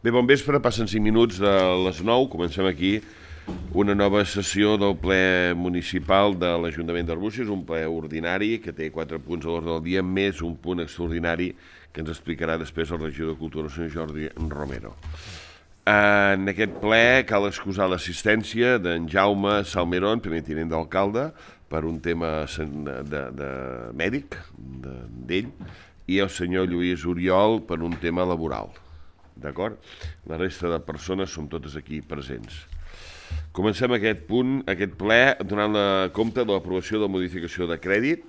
Bé, bon vespre, passen 5 minuts de les 9, comencem aquí una nova sessió del ple municipal de l'Ajuntament d'Arbúcies, un ple ordinari que té 4 punts a l'ordre del dia, més un punt extraordinari que ens explicarà després el regidor de Cultura, el senyor Jordi Romero. En aquest ple cal excusar l'assistència d'en Jaume Salmerón, primer tinent d'alcalde, per un tema de mèdic d'ell, i el senyor Lluís Oriol per un tema laboral. D'acord? La resta de persones som totes aquí presents. Comencem aquest ple, donant compte de l'aprovació de la modificació de crèdit.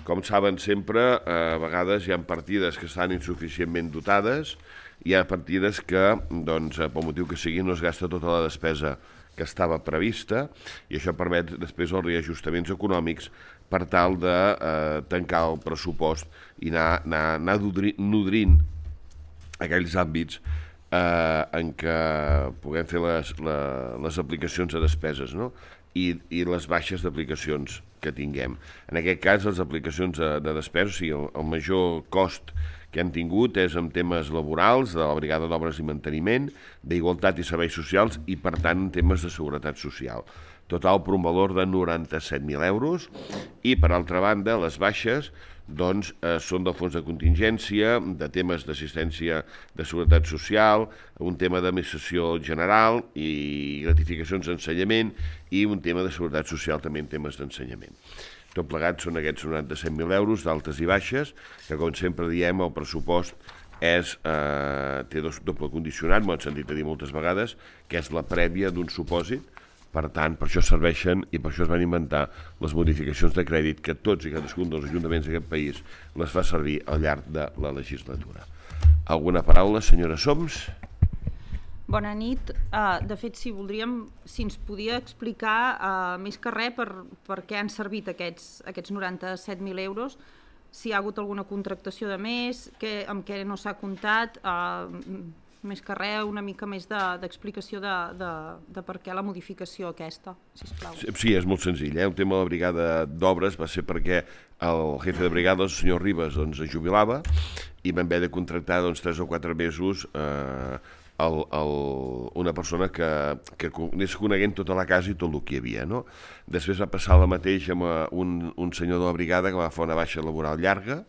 Com saben sempre, a vegades hi ha partides que estan insuficientment dotades, hi ha partides que, doncs, pel motiu que sigui, no es gasta tota la despesa que estava prevista, i això permet després els reajustaments econòmics per tal de tancar el pressupost i anar nodrint aquells àmbits en què puguem fer les aplicacions de despeses, no? I les baixes d'aplicacions que tinguem. En aquest cas, les aplicacions de despeses, o sigui, el major cost que hem tingut és en temes laborals, de la Brigada d'Obres i Manteniment, d'Igualtat i Serveis Socials i, per tant, en temes de Seguretat Social. Total per un valor de 97.000 euros. I, per altra banda, les baixes doncs, són del fons de contingència, de temes d'assistència de seguretat social, un tema d'administració general i gratificacions d'ensenyament i un tema de seguretat social també en temes d'ensenyament. Tot plegat són aquests 97.000 euros d'altes i baixes, que com sempre diem el pressupost té doble condicionat, m'ho han sentit a dir moltes vegades, que és la prèvia d'un supòsit. Per tant, per això serveixen i per això es van inventar les modificacions de crèdit que tots i cadascun dels ajuntaments d'aquest país les fa servir al llarg de la legislatura. Alguna paraula, senyora Soms? Bona nit. De fet, si ens podia explicar més que res per què han servit aquests 97.000 euros, si hi ha hagut alguna contractació de més, amb què no s'ha comptat, més que res, una mica més d'explicació de per què la modificació aquesta, sisplau. Sí, és molt senzill. El tema de la brigada d'obres va ser perquè el jefe de brigada, el senyor Ribas, es jubilava i vam haver de contractar 3 o 4 mesos una persona que anés coneguent tota la casa i tot el que hi havia, no? Després va passar la mateixa amb un senyor de la brigada que va fer una baixa laboral llarga,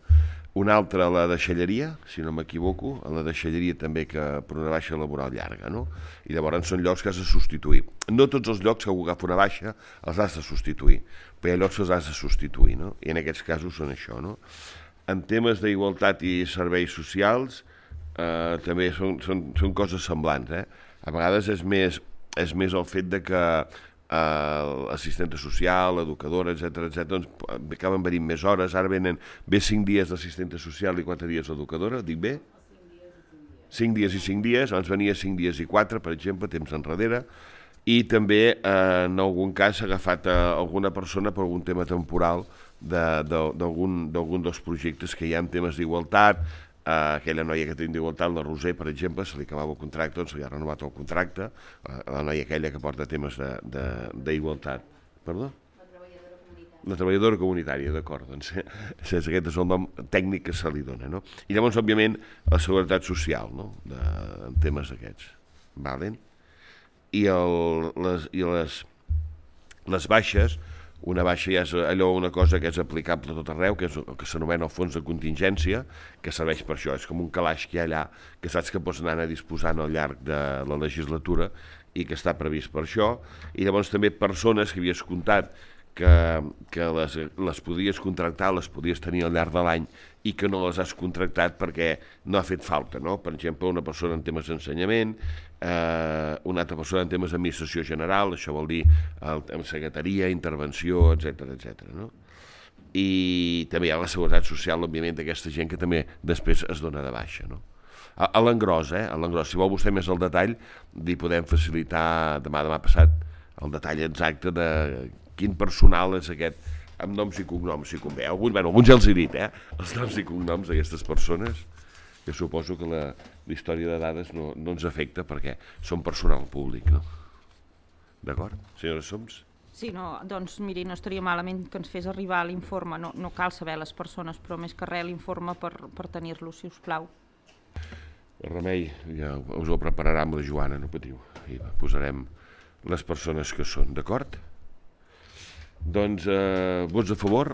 una altra a la deixalleria, si no m'equivoco, a la deixalleria també que per una baixa laboral llarga, no? I llavors són llocs que has de substituir. No tots els llocs que algú agafa una baixa els has de substituir, però hi ha llocs que els has de substituir, no? I en aquests casos són això, no? En temes d'igualtat i serveis socials també són coses semblants, A vegades és més el fet de que l'assistenta social, l'educadora, etc., doncs acaben venint més hores. Ara ve 5 dies d'assistenta social i 4 dies d'educadora, dic bé? 5 dies i 5 dies, abans venia 5 dies i 4, per exemple, temps enrere, i també en algun cas s'ha agafat alguna persona per algun tema temporal d'algun dels projectes que hi ha en temes d'igualtat. Aquella noia que tenim d'igualtat, la Roser, per exemple, se li acabava el contracte, doncs se li ha renovat el contracte, la noia aquella que porta temes d'igualtat. Perdó? La treballadora comunitària, d'acord, doncs aquest és el nom tècnic que se li dona, no? I llavors, òbviament, la seguretat social, no?, en temes d'aquests. I les baixes, una baixa ja és una cosa que és aplicable a tot arreu, que és el que s'anomena el fons de contingència, que serveix per això, és com un calaix que hi ha allà, que saps que pots anar disposant al llarg de la legislatura i que està previst per això, i llavors també persones que havies comptat que les podies contractar, les podies tenir al llarg de l'any i que no les has contractat perquè no ha fet falta, no? Per exemple, una persona en temes d'ensenyament, una altra persona en temes d'administració general, això vol dir en secretaria, intervenció, etc., no? I també hi ha la seguretat social, òbviament, d'aquesta gent que també després es dona de baixa, no? A l'engròs, si vol vostè més el detall, li podem facilitar demà passat el detall exacte de quin personal és aquest, amb noms i cognoms, si convé. Alguns ja els he dit, els noms i cognoms d'aquestes persones, que suposo que la història de dades no ens afecta perquè són personal públic, no? D'acord? Senyora Soms? Sí, doncs miri, no estaria malament que ens fes arribar l'informe, no cal saber les persones, però més que res l'informe per tenir-lo, si us plau. El remei ja us ho prepararà amb la Joana, no patiu. I posarem les persones que són, d'acord? Doncs, vots a favor?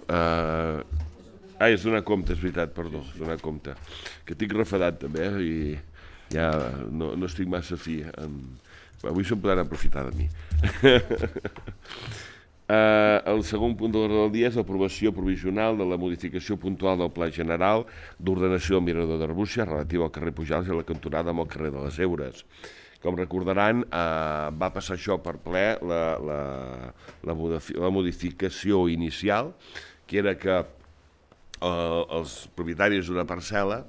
És donar compte, és veritat, perdó, és donar compte. Que estic refadat també, i ja no estic massa fi. Avui se'n podran aprofitar de mi. El segon punt de l'ordre del dia és l'aprovació provisional de la modificació puntual del Pla General d'ordenació del Mirador d'Arbúcies relatiu al carrer Pujals i la cantonada amb el carrer de les Heures. Com recordaran, va passar això per ple la modificació inicial, que era que els propietaris d'una parcel·la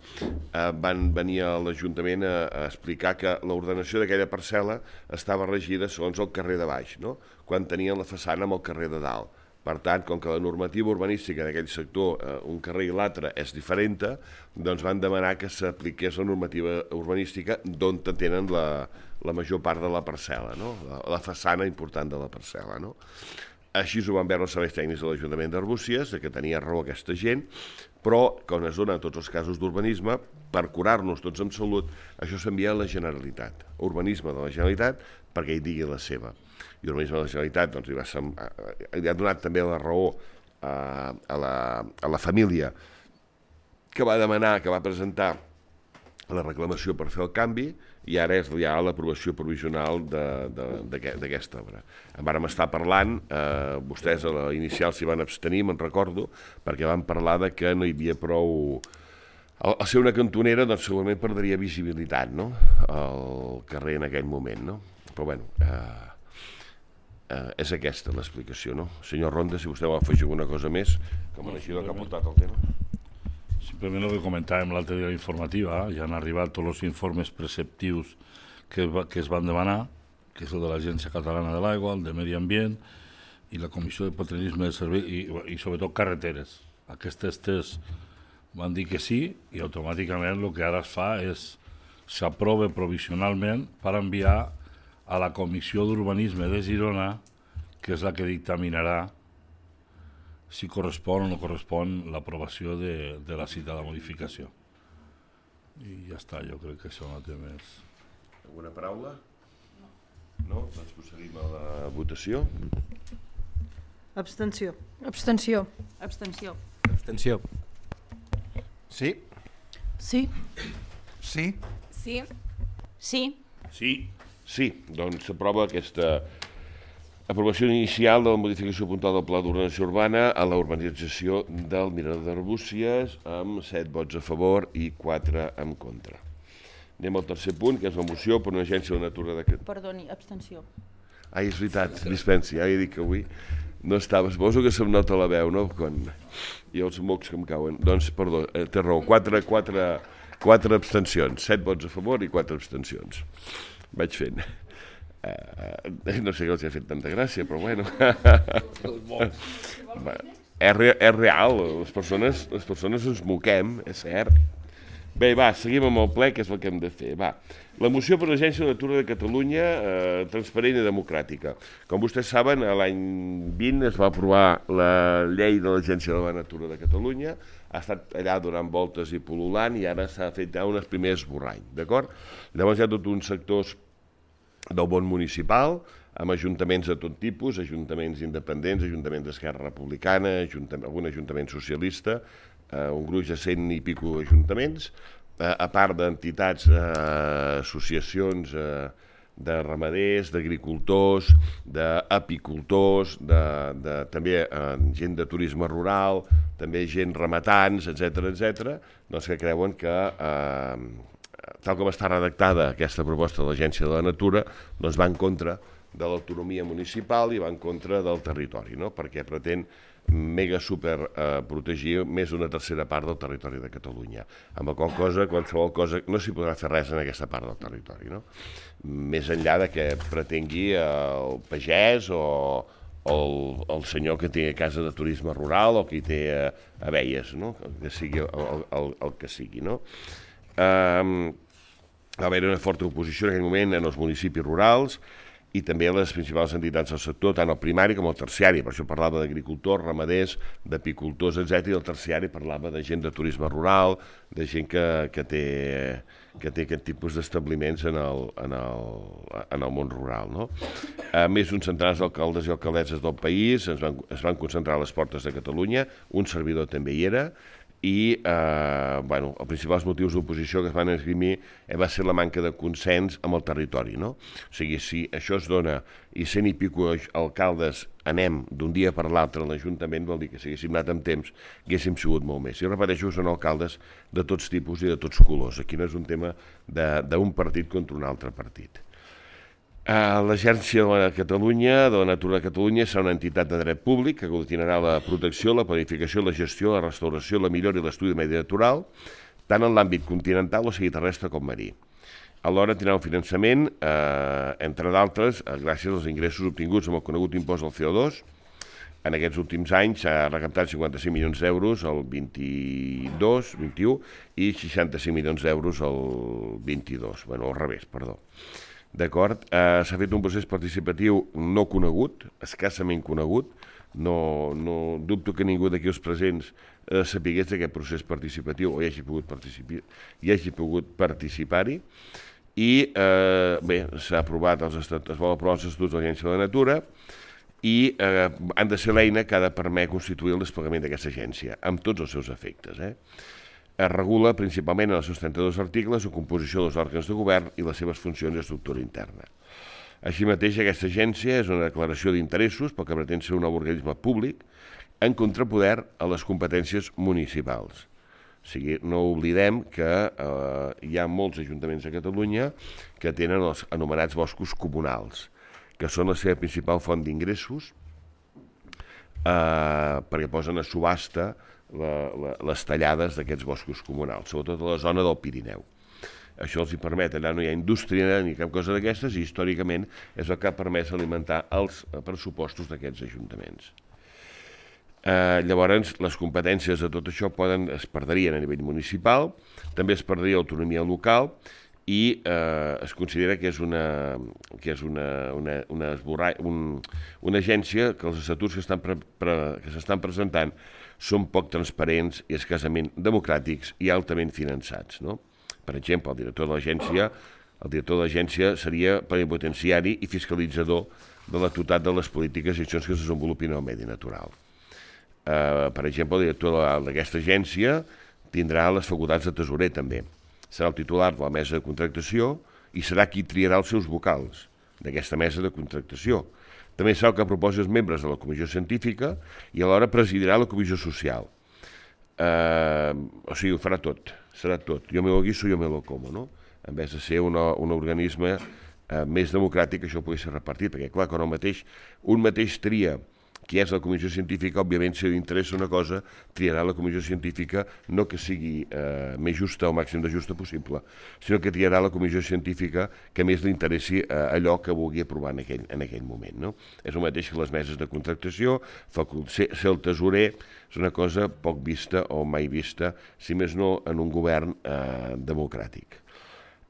van venir a l'Ajuntament a explicar que l'ordenació d'aquella parcel·la estava regida segons el carrer de baix, no? Quan tenien la façana amb el carrer de dalt. Per tant, com que la normativa urbanística d'aquell sector, un carrer i l'altre, és diferent, doncs van demanar que s'apliqués la normativa urbanística d'on tenen la major part de la parcel·la, no? La façana important de la parcel·la, no? Així ho van veure els serveis tècnics de l'Ajuntament d'Arbúcies, que tenia raó aquesta gent, però, quan es donen tots els casos d'urbanisme, per curar-nos tots amb salut, això s'envia a la Generalitat. Urbanisme de la Generalitat, perquè hi digui la seva. I Urbanisme de la Generalitat doncs, li ha donat també la raó a la família que va demanar, que va presentar la reclamació per fer el canvi, i ara és ja l'aprovació provisional d'aquesta obra. En vàrem estar parlant, vostès a l'inicial s'hi van abstenir, me'n recordo, perquè van parlar que no hi havia prou... Al ser una cantonera, doncs segurament perdria visibilitat, no?, el carrer en aquell moment, no? Però bueno, és aquesta l'explicació, no? Senyor Ronda, si vostè vol afegir alguna cosa més, com a regidor que ha portat el tema. Simplement el que comentàvem l'altre dia informativa, ja han arribat tots els informes preceptius que es van demanar, que és el de l'Agència Catalana de l'Aigua, el de Medi Ambient i la Comissió de Patriotisme de Servei i sobretot carreteres. Aquestes tres van dir que sí i automàticament el que ara es fa és s'aprova provisionalment per enviar a la Comissió d'Urbanisme de Girona, que és la que dictaminarà si correspon o no correspon l'aprovació de la citada modificació. I ja està, jo crec que això no té més. Alguna paraula? No? Doncs procedim a la votació. Abstenció. Abstenció. Abstenció. Abstenció. Sí. Sí. Sí. Sí. Sí. Sí. Sí, doncs s'aprova aquesta aprovació inicial de la modificació puntual del Pla d'Ordenació Urbana a la urbanització del Mirador d'Arbúcies amb 7 vots a favor i 4 en contra. Anem al tercer punt, que és la moció per una agència de natura de... Perdoni, abstenció. Ai, és veritat, dispensi, ja he dit que avui no estava, suposo que se'm nota la veu, no?, quan hi ha els mocs que em cauen. Doncs, perdó, té raó, 4 abstencions, 7 vots a favor i 4 abstencions. Vaig fent. No sé què els ha fet tanta gràcia, però bueno. És real, les persones ens moquem, és cert. Bé, va, seguim amb el ple, que és el que hem de fer. Va, la moció per l'Agència de Natura de Catalunya, transparent i democràtica. Com vostès saben, l'any 20 es va aprovar la llei de l'Agència de la Natura de Catalunya, ha estat allà donant voltes i pol·lulant, i ara s'ha fet ja un primer esborrany, d'acord? Llavors hi ha tots uns sectors del món municipal, amb ajuntaments de tot tipus, ajuntaments independents, ajuntaments d'Esquerra Republicana, algun ajuntament socialista, un gruix de 100 i pico ajuntaments, a part d'entitats, associacions de ramaders, d'agricultors, d'apicultors, també gent de turisme rural, també gent rematants, etc., doncs que creuen que tal com està redactada aquesta proposta de l'Agència de la Natura, doncs va en contra de l'autonomia municipal i va en contra del territori, no?, perquè pretén mega super protegir més d'una tercera part del territori de Catalunya, amb la qual cosa, qualsevol cosa, no s'hi podrà fer res en aquesta part del territori, no?, més enllà de que pretengui el pagès o el senyor que té casa de turisme rural o que hi té abelles, no?, que sigui el que sigui, no? Va haver una forta oposició en aquell moment en els municipis rurals i també les principals entitats del sector, tant el primari com el terciari. Per això parlava d'agricultors, ramaders, d'apicultors, etc. I el terciari parlava de gent de turisme rural, de gent que té aquest tipus d'establiments en el món rural. No? Més uns centenars d'alcaldes i alcaldesses del país es van concentrar a les portes de Catalunya, un servidor també hi era, i els principals motius d'oposició que es van esgrimir va ser la manca de consens amb el territori. No? O sigui, si això es dona i 100 i pico alcaldes anem d'un dia per l'altre a l'Ajuntament, vol dir que si haguéssim anat amb temps haguéssim sigut molt més. I repeteixo, són alcaldes de tots tipus i de tots colors. Aquí no és un tema d'un partit contra un altre partit. L'Agència de la Natura de Catalunya serà una entitat de dret públic que aglutinarà la protecció, la planificació, la gestió, la restauració, la millora i l'estudi de medi natural, tant en l'àmbit continental o sigui terrestre com marí. Alhora tindrà un finançament, entre d'altres, gràcies als ingressos obtinguts amb el conegut impost del CO2. En aquests últims anys s'ha recaptat 55 milions d'euros el 21 i 65 milions d'euros el 22, al revés, perdó. D'acord? S'ha fet un procés participatiu no conegut, escassament conegut, no dubto que ningú d'aquí els presents sapigués d'aquest procés participatiu o hi hagi pogut participar-hi, i s'ha aprovat es vol aprovar els estatuts de l'Agència de la Natura i han de ser l'eina que ha de permetre constituir el desplegament d'aquesta agència, amb tots els seus efectes. Es regula principalment en els seus 32 articles la composició dels òrgans de govern i les seves funcions i estructura interna. Així mateix, aquesta agència és una declaració d'interessos perquè pretén ser un organisme públic en contrapoder a les competències municipals. O sigui, no oblidem que hi ha molts ajuntaments a Catalunya que tenen els anomenats boscos comunals, que són la seva principal font d'ingressos perquè posen a subhasta les tallades d'aquests boscos comunals, sobretot a la zona del Pirineu. Això els hi permet, allà no hi ha indústria ni cap cosa d'aquestes i històricament és el que ha permès alimentar els pressupostos d'aquests ajuntaments. Llavors, les competències de tot això es perdrien a nivell municipal, també es perdria l'autonomia local i es considera que és una agència que els estatuts que s'estan presentant són poc transparents i escassament democràtics i altament finançats. No? Per exemple, el director de l'agència seria plenipotenciari i fiscalitzador de la totalitat de les polítiques i accions que es desenvolupin al medi natural. Per exemple, el director d'aquesta agència tindrà les facultats de tesorer també. Serà el titular de la mesa de contractació i serà qui triarà els seus vocals d'aquesta mesa de contractació. També serà el que proposi els membres de la comissió científica i alhora presidirà la comissió social. O sigui, ho farà tot, serà tot. Jo me lo guiso, jo me lo como, no? En vez de ser un organisme més democràtic, això pugui ser repartit, perquè clar, quan un mateix tria qui és la comissió científica, òbviament, si li interessa una cosa, triarà la comissió científica no que sigui més justa o màxim de justa possible, sinó que triarà la comissió científica que més li interessi allò que vulgui aprovar en aquell moment. No? És el mateix que les meses de contractació, ser el tesorer és una cosa poc vista o mai vista, si més no en un govern democràtic.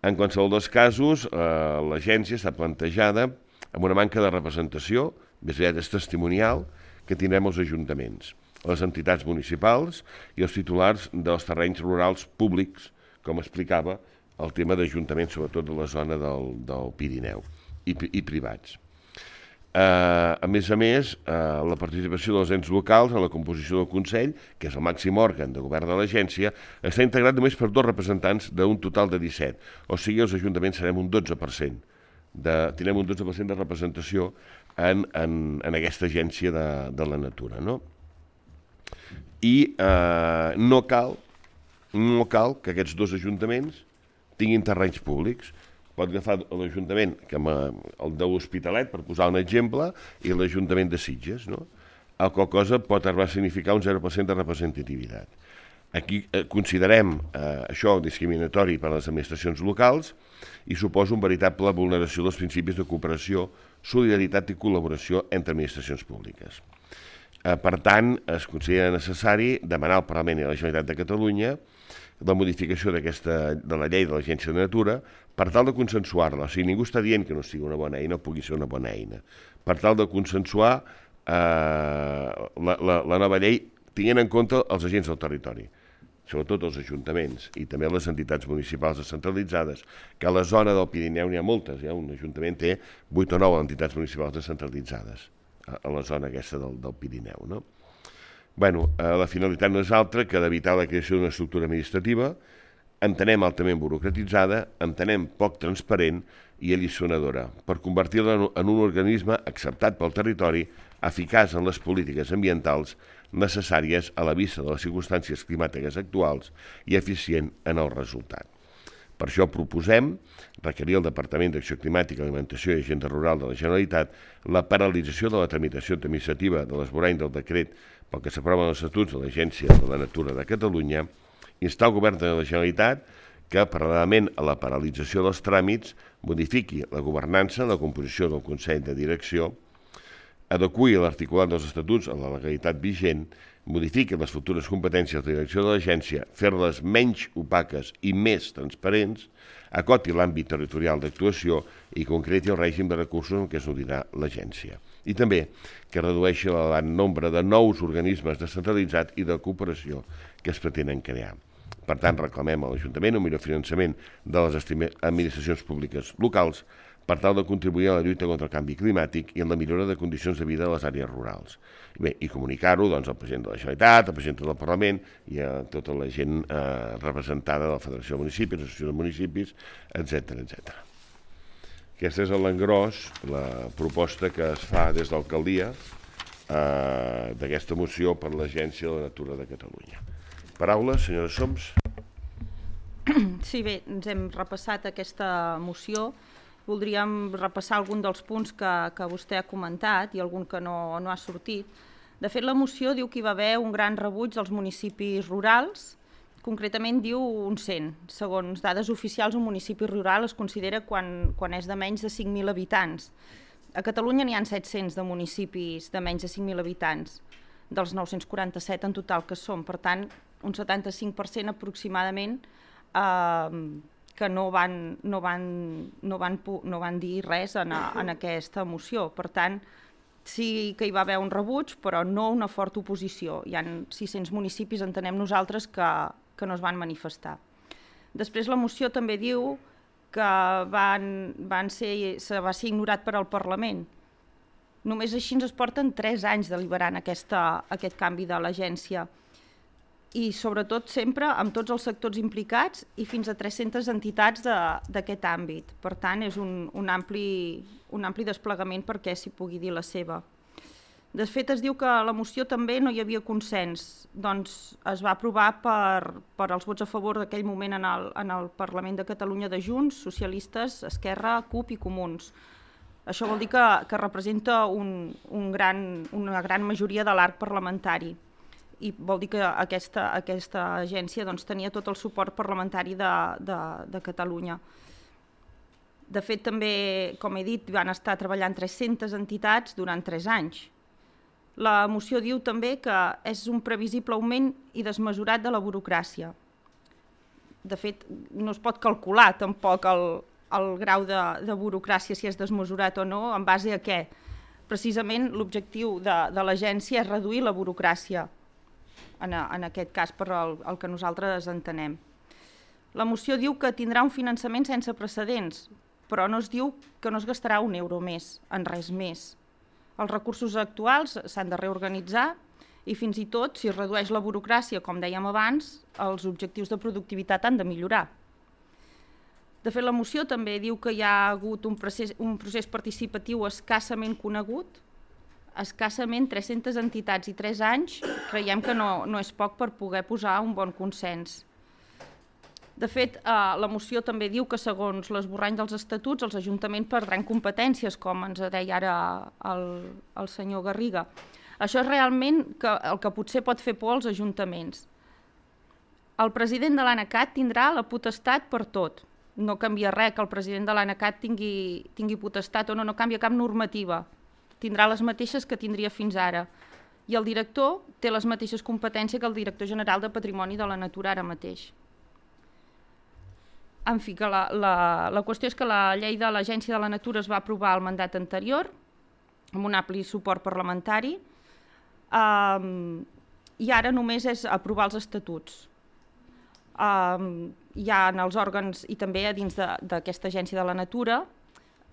En qualsevol dels casos, l'agència està plantejada amb una manca de representació, més aviat és testimonial, que tindrem els ajuntaments, les entitats municipals i els titulars dels terrenys rurals públics, com explicava, el tema d'ajuntaments, sobretot de la zona del Pirineu, i privats. A més, la participació dels ens locals en la composició del Consell, que és el màxim òrgan de govern de l'agència, està integrat només per 2 representants d'un total de 17, o sigui, els ajuntaments serem un 12%. Tindrem un 12% de representació en aquesta agència de la natura. No? I no cal que aquests 2 ajuntaments tinguin terrenys públics. Pot agafar l'Ajuntament, el de l'Hospitalet, per posar un exemple, i l'Ajuntament de Sitges. No? El qual cosa pot arribar a significar un 0% de representativitat. Aquí considerem això discriminatori per a les administracions locals i suposa una veritable vulneració dels principis de cooperació, solidaritat i col·laboració entre administracions públiques. Per tant, es considera necessari demanar al Parlament i a la Generalitat de Catalunya la modificació de la llei de l'Agència de Natura per tal de consensuar-la. O sigui, ningú està dient que no sigui una bona eina o pugui ser una bona eina. Per tal de consensuar la nova llei tenint en compte els agents del territori, sobretot els ajuntaments i també les entitats municipals descentralitzades, que a la zona del Pirineu n'hi ha moltes. Un ajuntament té 8 o 9 entitats municipals descentralitzades a la zona aquesta del Pirineu, no? La finalitat no és altra que d'evitar la creació d'una estructura administrativa, entenem altament burocratitzada, entenem poc transparent i alliçonadora, per convertir-la en un organisme acceptat pel territori, eficaç en les polítiques ambientals necessàries a la vista de les circumstàncies climàtiques actuals i eficient en el resultat. Per això proposem requerir al Departament d'Acció Climàtica, Alimentació i Agenda Rural de la Generalitat la paralització de la tramitació administrativa de l'esborrany del decret pel que s'aproven els estatuts de l'Agència de la Natura de Catalunya, instar el Govern de la Generalitat que, paral·lelament a la paralització dels tràmits, modifiqui la governança, la composició del Consell de Direcció, adeqüi l'articulat dels estatuts a la legalitat vigent, modifiqui les futures competències de direcció de l'agència, fer-les menys opaques i més transparents, acoti l'àmbit territorial d'actuació i concreti el règim de recursos en què es nodrirà l'agència. I també que redueixi l'elevat nombre de nous organismes descentralitzats i de cooperació que es pretenen crear. Per tant, reclamem a l'Ajuntament un millor finançament de les administracions públiques locals per tal de contribuir a la lluita contra el canvi climàtic i en la millora de condicions de vida a les àrees rurals. I comunicar-ho al president de la Generalitat, al president del Parlament i a tota la gent representada de la Federació de Municipis, l'Associació de Municipis, etc. Aquesta és a l'engròs la proposta que es fa des de l'alcaldia d'aquesta moció per l'Agència de la Natura de Catalunya. Paraules, senyora Soms. Sí, bé, ens hem repassat aquesta moció. Voldríem repassar algun dels punts que vostè ha comentat i algun que no ha sortit. De fet, la moció diu que hi va haver un gran rebuig dels municipis rurals, concretament diu un 100. Segons dades oficials, un municipi rural es considera quan és de menys de 5.000 habitants. A Catalunya n'hi ha 700 de municipis de menys de 5.000 habitants, dels 947 en total que són. Per tant, un 75% aproximadament que no van dir res en aquesta moció. Per tant, sí que hi va haver un rebuig, però no una forta oposició. Hi ha 600 municipis, entenem nosaltres, que no es van manifestar. Després la moció també diu que va ser ignorat per al Parlament. Només així ens porten 3 anys deliberant aquest canvi de l'agència. I sobretot sempre amb tots els sectors implicats i fins a 300 entitats d'aquest àmbit. Per tant, és un ampli desplegament perquè s'hi pugui dir la seva. De fet, es diu que a la moció també no hi havia consens, doncs es va aprovar per als vots a favor d'aquell moment en el Parlament de Catalunya de Junts, Socialistes, Esquerra, CUP i Comuns. Això vol dir que representa una gran majoria de l'arc parlamentari. I vol dir que aquesta agència tenia tot el suport parlamentari de Catalunya. De fet, també, com he dit, van estar treballant 300 entitats durant 3 anys. La moció diu també que és un previsible augment i desmesurat de la burocràcia. De fet, no es pot calcular tampoc el grau de burocràcia, si és desmesurat o no, en base a què. Precisament l'objectiu de l'agència és reduir la burocràcia, en aquest cas, per el que nosaltres entenem. La moció diu que tindrà un finançament sense precedents, però no es diu que no es gastarà un euro més, en res més. Els recursos actuals s'han de reorganitzar i fins i tot, si es redueix la burocràcia, com dèiem abans, els objectius de productivitat han de millorar. De fet, la moció també diu que hi ha hagut un procés participatiu escassament conegut, escassament 300 entitats i 3 anys, creiem que no és poc per poder posar un bon consens. De fet, la moció també diu que segons l'esborrany dels estatuts els ajuntaments perdran competències, com ens deia ara el senyor Garriga. Això és realment el que potser pot fer por als ajuntaments. El president de l'ANACAT tindrà la potestat per tot. No canvia res que el president de l'ANACAT tingui potestat o no canvia cap normativa. Tindrà les mateixes que tindria fins ara. I el director té les mateixes competències que el director general de Patrimoni de la Natura ara mateix. En fi, que la qüestió és que la llei de l'Agència de la Natura es va aprovar al mandat anterior, amb un ampli suport parlamentari, i ara només és aprovar els estatuts. Hi ha en els òrgans i també a dins d'aquesta Agència de la Natura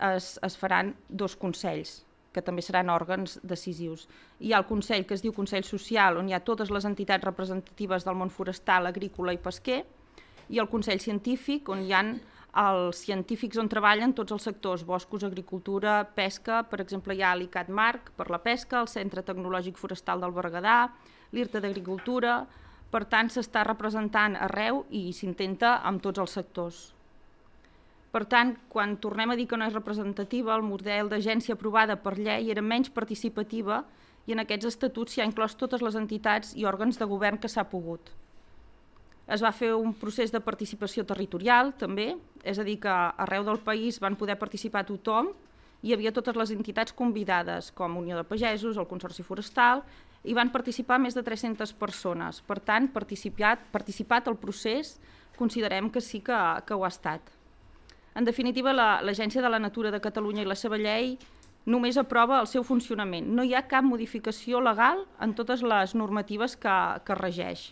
es faran 2 consells, que també seran òrgans decisius. Hi ha el Consell que es diu Consell Social, on hi ha totes les entitats representatives del món forestal, agrícola i pesquer, i el Consell Científic, on hi ha els científics on treballen tots els sectors, boscos, agricultura, pesca, per exemple hi ha l'ICAT Marc per la pesca, el Centre Tecnològic Forestal del Berguedà, l'IRTA d'Agricultura, per tant s'està representant arreu i s'intenta amb tots els sectors. Per tant, quan tornem a dir que no és representativa, el model d'agència aprovada per llei era menys participativa i en aquests estatuts s'hi ha inclòs totes les entitats i òrgans de govern que s'ha pogut. Es va fer un procés de participació territorial, també, és a dir, que arreu del país van poder participar tothom, hi havia totes les entitats convidades, com Unió de Pagesos, el Consorci Forestal, i van participar més de 300 persones. Per tant, participat el procés, considerem que sí que ho ha estat. En definitiva, l'Agència de la Natura de Catalunya i la seva llei només aprova el seu funcionament. No hi ha cap modificació legal en totes les normatives que regeix.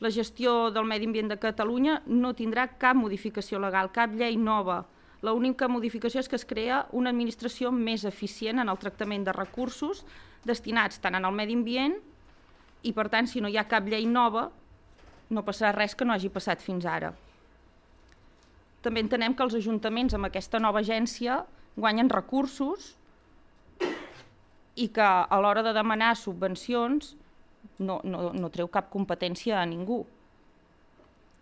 La gestió del medi ambient de Catalunya no tindrà cap modificació legal, cap llei nova. L'única modificació és que es crea una administració més eficient en el tractament de recursos destinats tant al medi ambient i, per tant, si no hi ha cap llei nova, no passarà res que no hagi passat fins ara. També entenem que els ajuntaments amb aquesta nova agència guanyen recursos i que a l'hora de demanar subvencions no treu cap competència a ningú.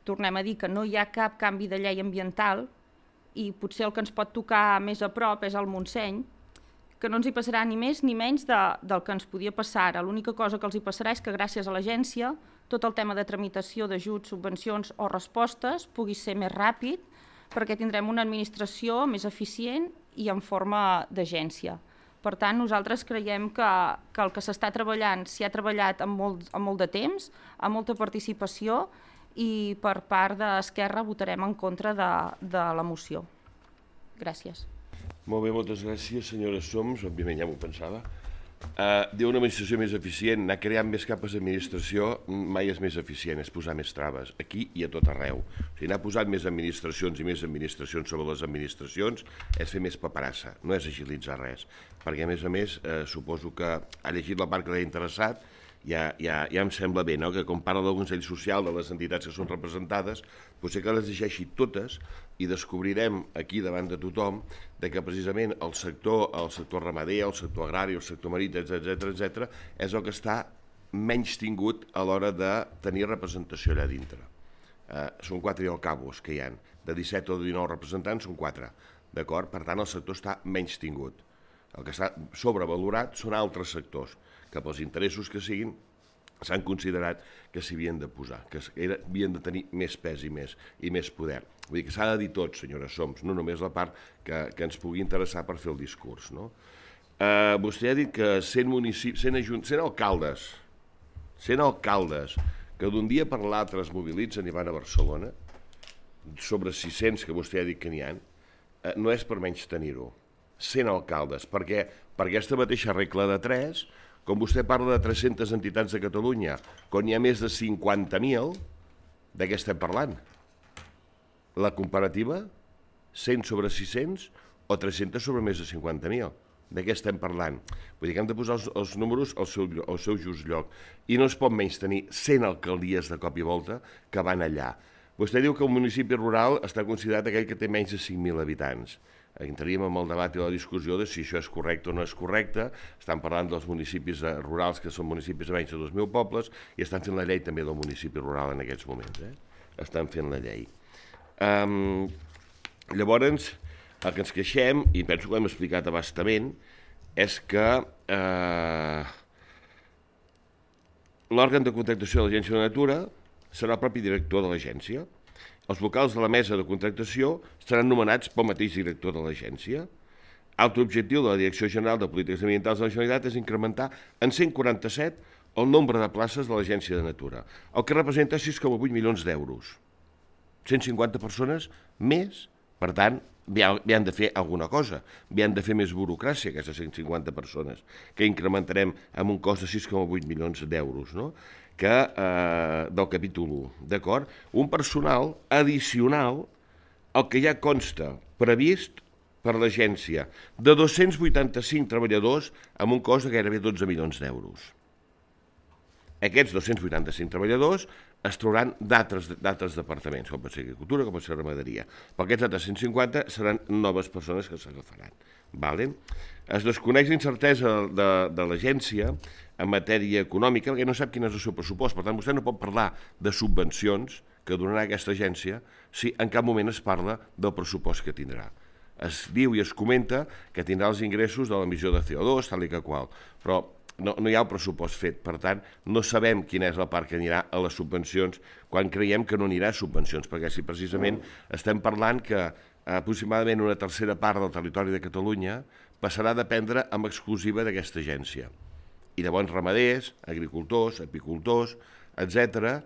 Tornem a dir que no hi ha cap canvi de llei ambiental i potser el que ens pot tocar més a prop és el Montseny, que no ens hi passarà ni més ni menys del que ens podia passar ara. L'única cosa que els hi passarà és que gràcies a l'agència tot el tema de tramitació d'ajuts, subvencions o respostes pugui ser més ràpid perquè tindrem una administració més eficient i en forma d'agència. Per tant, nosaltres creiem que el que s'està treballant s'hi ha treballat amb molt de temps, amb molta participació i per part d'Esquerra votarem en contra de la moció. Gràcies. Molt bé, moltes gràcies, senyora Soms. Òbviament ja m'ho pensava. Diu una administració més eficient, anar creant més capes d'administració mai és més eficient, és posar més traves, aquí i a tot arreu. O sigui, anar posant més administracions i més administracions sobre les administracions és fer més paperassa, no és agilitzar res. Perquè, a més, suposo que ha llegit la part que l'ha interessat, ja em sembla bé, no? Que com parla del Consell Social, de les entitats que són representades, potser que les llegeixi totes i descobrirem aquí davant de tothom que precisament el sector ramader, el sector agrari, el sector marí, etc., és el que està menys tingut a l'hora de tenir representació allà dintre. Són 4 i al cabos que hi ha. De 17 o 19 representants són 4. D'acord? Per tant, el sector està menys tingut. El que està sobrevalorat són altres sectors, que pels interessos que siguin s'han considerat que s'hi havien de posar, que havien de tenir més pes i més poder. Vull dir que s'ha de dir tot, senyora Soms, no només la part que ens pugui interessar per fer el discurs. No? Vostè ha dit que 100 alcaldes que d'un dia per l'altre es mobilitzen i van a Barcelona, sobre 600 que vostè ha dit que n'hi ha, no és per menys tenir-ho. 100 alcaldes, perquè per aquesta mateixa regla de 3, com vostè parla de 300 entitats de Catalunya, quan hi ha més de 50.000, de què estem parlant? La comparativa? 100 sobre 600 o 300 sobre més de 50.000? De què estem parlant? Vull dir que hem de posar els números al seu just lloc. I no es pot menys tenir 100 alcaldies de cop i volta que van allà. Vostè diu que el municipi rural està considerat aquell que té menys de 5.000 habitants. Entraríem amb el debat i la discussió de si això és correcte o no és correcte. Estan parlant dels municipis rurals, que són municipis de menys de 2.000 pobles, i estan fent la llei també del municipi rural en aquests moments. Estan fent la llei. Llavors, el que ens queixem, i penso que ho hem explicat a bastament, és que l'òrgan de contractació de l'Agència de la Natura serà el propi director de l'agència. Els vocals de la mesa de contractació seran nomenats pel mateix director de l'agència. Altre objectiu de la Direcció General de Polítiques Ambientals de la Generalitat és incrementar en 147 el nombre de places de l'Agència de Natura, el que representa 6,8 milions d'euros. 150 persones més, per tant, han de fer alguna cosa, han de fer més burocràcia, aquestes 150 persones, que incrementarem amb un cost de 6,8 milions d'euros, no? Del capítol 1, d'acord? Un personal addicional al que ja consta previst per l'agència de 285 treballadors amb un cost de gairebé 12 milions d'euros. Aquests 285 treballadors es trobaran d'altres departaments, com pot ser agricultura, com pot ser ramaderia. Però aquests altres 150 seran noves persones que s'agafaran. Es desconeix l'incertesa de l'agència en matèria econòmica perquè no sap quin és el seu pressupost. Per tant, vostè no pot parlar de subvencions que donarà aquesta agència si en cap moment es parla del pressupost que tindrà. Es diu i es comenta que tindrà els ingressos de l'emissió de CO2, tal i que qual, però no hi ha el pressupost fet, per tant, no sabem quina és la part que anirà a les subvencions quan creiem que no anirà a subvencions, perquè si precisament estem parlant que aproximadament una tercera part del territori de Catalunya passarà a dependre amb exclusiva d'aquesta agència. I llavors ramaders, agricultors, apicultors, etc.,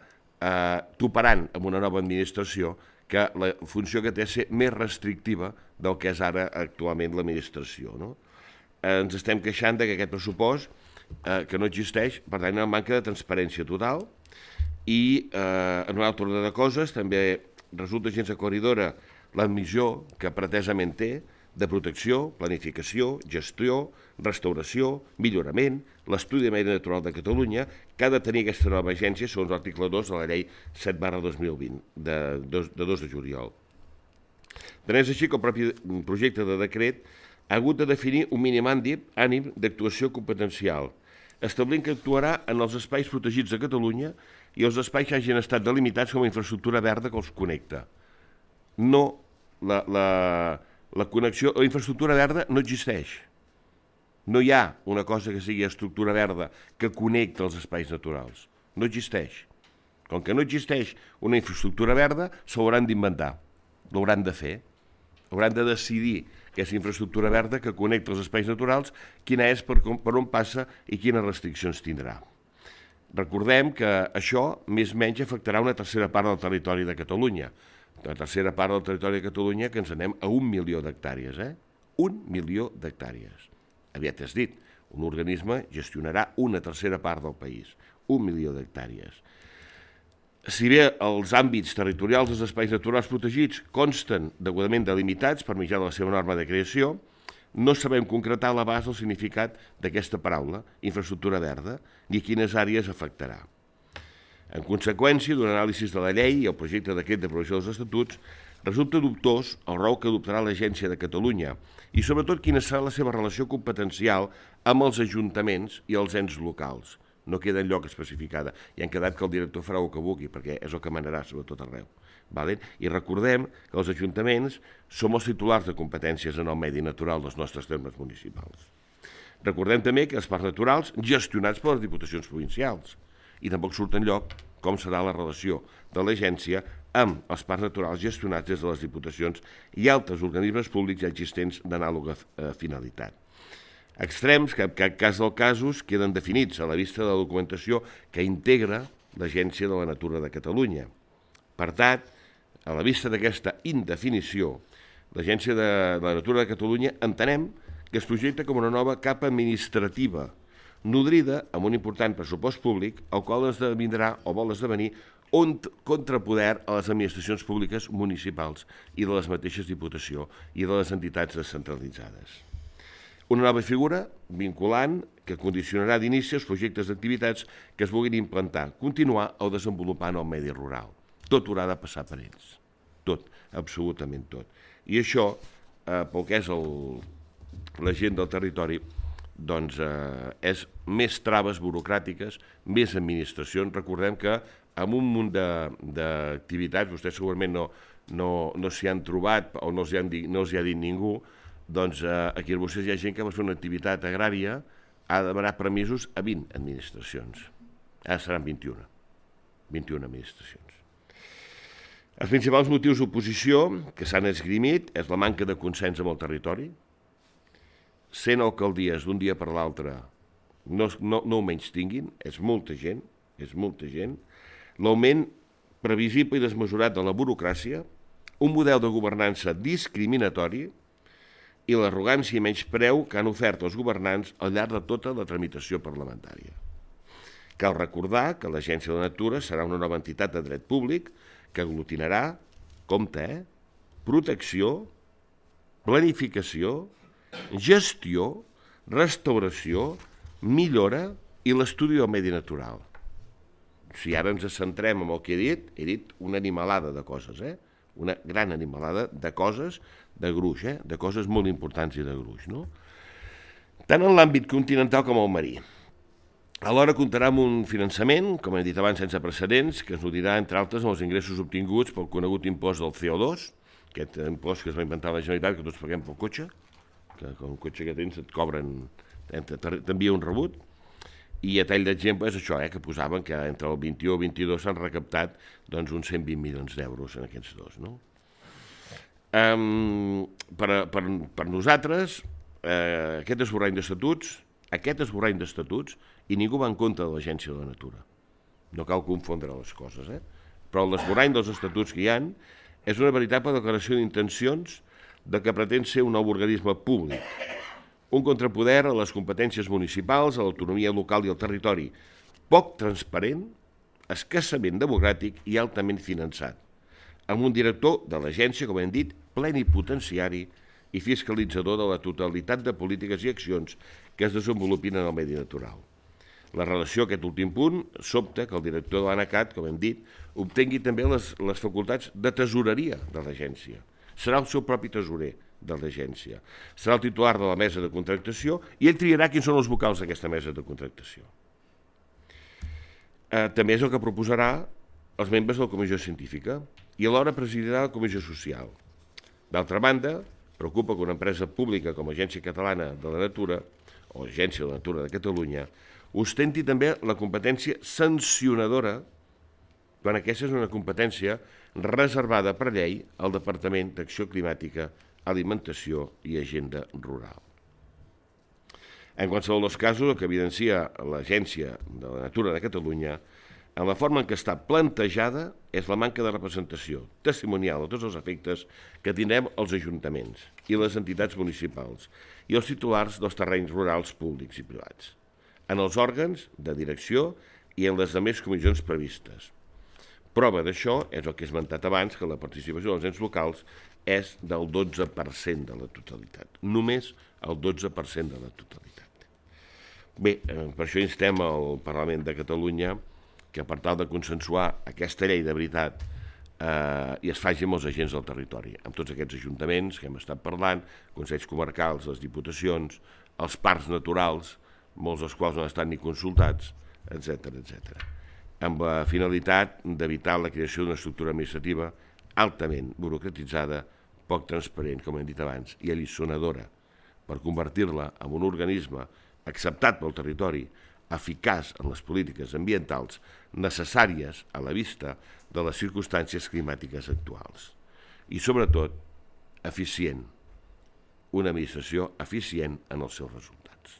toparan amb una nova administració que la funció que té és ser més restrictiva del que és ara actualment l'administració. Ens estem queixant que aquest pressupost que no existeix, per tant, hi ha una manca de transparència total i en un altre ordre de coses també resulta gens aclaridora l'admissió que pretesament té de protecció, planificació, gestió, restauració, millorament, l'estudi de medi natural de Catalunya que ha de tenir aquesta nova agència segons l'article 2 de la llei 7/2020 de 2 de juliol. Tant és així que el propi projecte de decret ha hagut de definir un mínim ànim d'actuació competencial, establint que actuarà en els espais protegits de Catalunya i els espais que hagin estat delimitats com a infraestructura verda que els connecta. No, la connexió, la infraestructura verda no existeix. No hi ha una cosa que sigui estructura verda que connecta els espais naturals. No existeix. Com que no existeix una infraestructura verda, s'hauran d'inventar. L'hauran de fer. Hauran de decidir aquesta infraestructura verda que connecta els espais naturals, quina és, per on passa i quines restriccions tindrà. Recordem que això més o menys afectarà una tercera part del territori de Catalunya. La tercera part del territori de Catalunya que ens anem a 1 milió d'hectàrees. 1 milió d'hectàrees. Aviat has dit, un organisme gestionarà una tercera part del país. 1 milió d'hectàrees. Si bé els àmbits territorials dels espais naturals protegits consten degudament delimitats per mitjà de la seva norma de creació, no sabem concretar l'abast del significat d'aquesta paraula, infraestructura verda, ni quines àrees afectarà. En conseqüència, d'un anàlisi de la llei i el projecte de decret d'aprovació dels estatuts, resulta dubtós el rol que adoptarà l'Agència de Catalunya i sobretot quina serà la seva relació competencial amb els ajuntaments i els ens locals. No queda enlloc especificada. I han quedat que el director farà el que vulgui, perquè és el que manarà sobretot arreu. I recordem que els ajuntaments som els titulars de competències en el medi natural dels nostres termes municipals. Recordem també que els parcs naturals gestionats per les diputacions provincials i tampoc surt enlloc com serà la relació de l'agència amb els parcs naturals gestionats des de les diputacions i altres organismes públics ja existents d'anàloga finalitat. Extrems que en cap cas dels casos queden definits a la vista de la documentació que integra l'Agència de la Natura de Catalunya. Per tant, a la vista d'aquesta indefinició, l'Agència de la Natura de Catalunya entenem que es projecta com una nova capa administrativa nodrida amb un important pressupost públic, el qual esdevindrà o vol esdevenir un contrapoder a les administracions públiques municipals i de les mateixes diputacions i de les entitats descentralitzades. Una nova figura vinculant que condicionarà d'inici els projectes d'activitats que es vulguin implantar, continuar o desenvolupar en el medi rural. Tot haurà de passar per ells. Tot, absolutament tot. I això, pel que és la gent del territori, doncs és més traves burocràtiques, més administracions. Recordem que amb un munt d'activitats, vostès segurament no s'hi han trobat o no els hi ha dit ningú, doncs aquí a Arbúcies hi ha gent que va fer una activitat agrària, ha de demanar permisos a 20 administracions. Ara seran 21 administracions. Els principals motius d'oposició que s'han esgrimit és la manca de consens amb el territori, 100 alcaldies d'un dia per l'altre no ho menys tinguin, és molta gent, l'augment previsible i desmesurat de la burocràcia, un model de governança discriminatori i l'arrogància i menyspreu que han ofert els governants al llarg de tota la tramitació parlamentària. Cal recordar que l'Agència de la Natura serà una nova entitat de dret públic que aglutinarà, compte, protecció, planificació, gestió, restauració, millora i l'estudi del medi natural. Si ara ens centrem en el que he dit una animalada de coses, una gran animalada de coses de gruix, de coses molt importants i de gruix, no? Tant en l'àmbit continental com el marí. Alhora comptarà amb un finançament, com he dit abans, sense precedents, que es nodrirà, entre altres, amb els ingressos obtinguts pel conegut impost del CO2, aquest impost que es va inventar la Generalitat, que tots paguem pel cotxe, que com el cotxe que tens et cobren, t'envia un rebut, i a tall d'exemple és això, que posaven que entre el 21 i el 22 s'han recaptat uns 120 milions d'euros en aquests dos. No? Per nosaltres, aquest esborrany d'estatuts, i ningú va en contra de l'Agència de la Natura. No cal confondre les coses, però l'esborrany dels estatuts que hi ha és una veritable declaració d'intencions de que pretén ser un nou organisme públic, un contrapoder a les competències municipals, a l'autonomia local i al territori, poc transparent, escassament democràtic i altament finançat, amb un director de l'agència, com hem dit, plenipotenciari i fiscalitzador de la totalitat de polítiques i accions que es desenvolupin en el medi natural. La relació a aquest últim punt sobta que el director de l'ANACAT, com hem dit, obtingui també les facultats de tesoreria de l'agència. Serà el seu propi tesorer de l'agència. Serà el titular de la mesa de contractació i ell triarà quins són els vocals d'aquesta mesa de contractació. També és el que proposarà els membres de la comissió científica i alhora presidirà la comissió social. D'altra banda, preocupa que una empresa pública com l'Agència Catalana de la Natura o l'Agència de la Natura de Catalunya ostenti també la competència sancionadora quan aquesta és una competència reservada per llei al Departament d'Acció Climàtica, Alimentació i Agenda Rural. En qualsevol dels casos, el que evidencia l'Agència de la Natura de Catalunya en la forma en què està plantejada és la manca de representació testimonial a tots els efectes que tindrem els ajuntaments i les entitats municipals i els titulars dels terrenys rurals públics i privats, en els òrgans de direcció i en les demés comissions previstes. Prova d'això és el que he esmentat abans, que la participació dels ens locals és del 12% de la totalitat, només el 12% de la totalitat. Bé, per això instem al Parlament de Catalunya que per tal de consensuar aquesta llei de veritat i es faci amb els agents del territori, amb tots aquests ajuntaments que hem estat parlant, consells comarcals, les diputacions, els parcs naturals, molts dels quals no han estat ni consultats, etc. Amb la finalitat d'evitar la creació d'una estructura administrativa altament burocratitzada, poc transparent, com hem dit abans, i alliçonadora, per convertir-la en un organisme acceptat pel territori, eficaç en les polítiques ambientals necessàries a la vista de les circumstàncies climàtiques actuals. I, sobretot, eficient, una administració eficient en els seus resultats.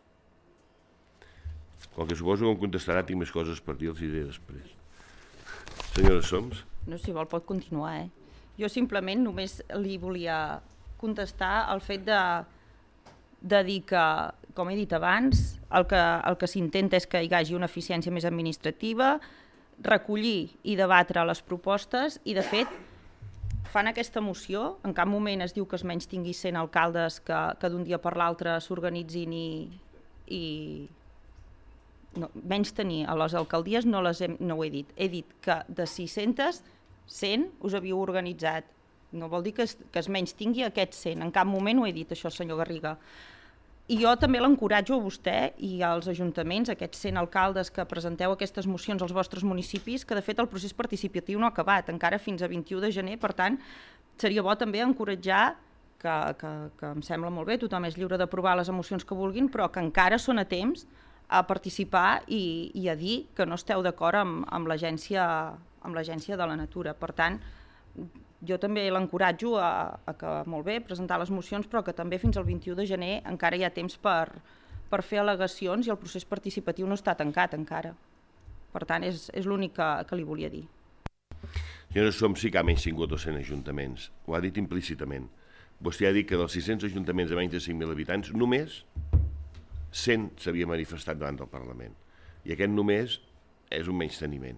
Com que suposo que em contestarà, tinc més coses per dir, els diré després. Senyora Soms? No, si vol pot continuar, Jo simplement només li volia contestar el fet de dir que, com he dit abans, el que s'intenta és que hi hagi una eficiència més administrativa, recollir i debatre les propostes i, de fet, fan aquesta moció, en cap moment es diu que es menys tingui 100 alcaldes que d'un dia per l'altre s'organitzin i no, menys tenir a les alcaldies no ho he dit. He dit que de 600, 100 us havíeu organitzat. No vol dir que es menys tingui aquests 100. En cap moment ho he dit, això, senyor Garriga. I jo també l'encoratjo a vostè i als ajuntaments, aquests 100 alcaldes que presenteu aquestes mocions als vostres municipis, que de fet el procés participatiu no ha acabat, encara fins a 21 de gener, per tant, seria bo també encoratjar, que em sembla molt bé, tothom és lliure d'aprovar les emocions que vulguin, però que encara són a temps a participar i a dir que no esteu d'acord amb l'Agència de la Natura. Per tant, jo també l'encoratjo a que, molt bé, presentar les mocions, però que també fins al 21 de gener encara hi ha temps per fer al·legacions i el procés participatiu no està tancat encara. Per tant, és l'únic que li volia dir. Senyora Som, sí que ha menys tingut 200 ajuntaments. Ho ha dit implícitament. Vostè ha dit que dels 600 ajuntaments de menys de 5.000 habitants, només 100 s'havia manifestat davant del Parlament. I aquest només és un menysteniment.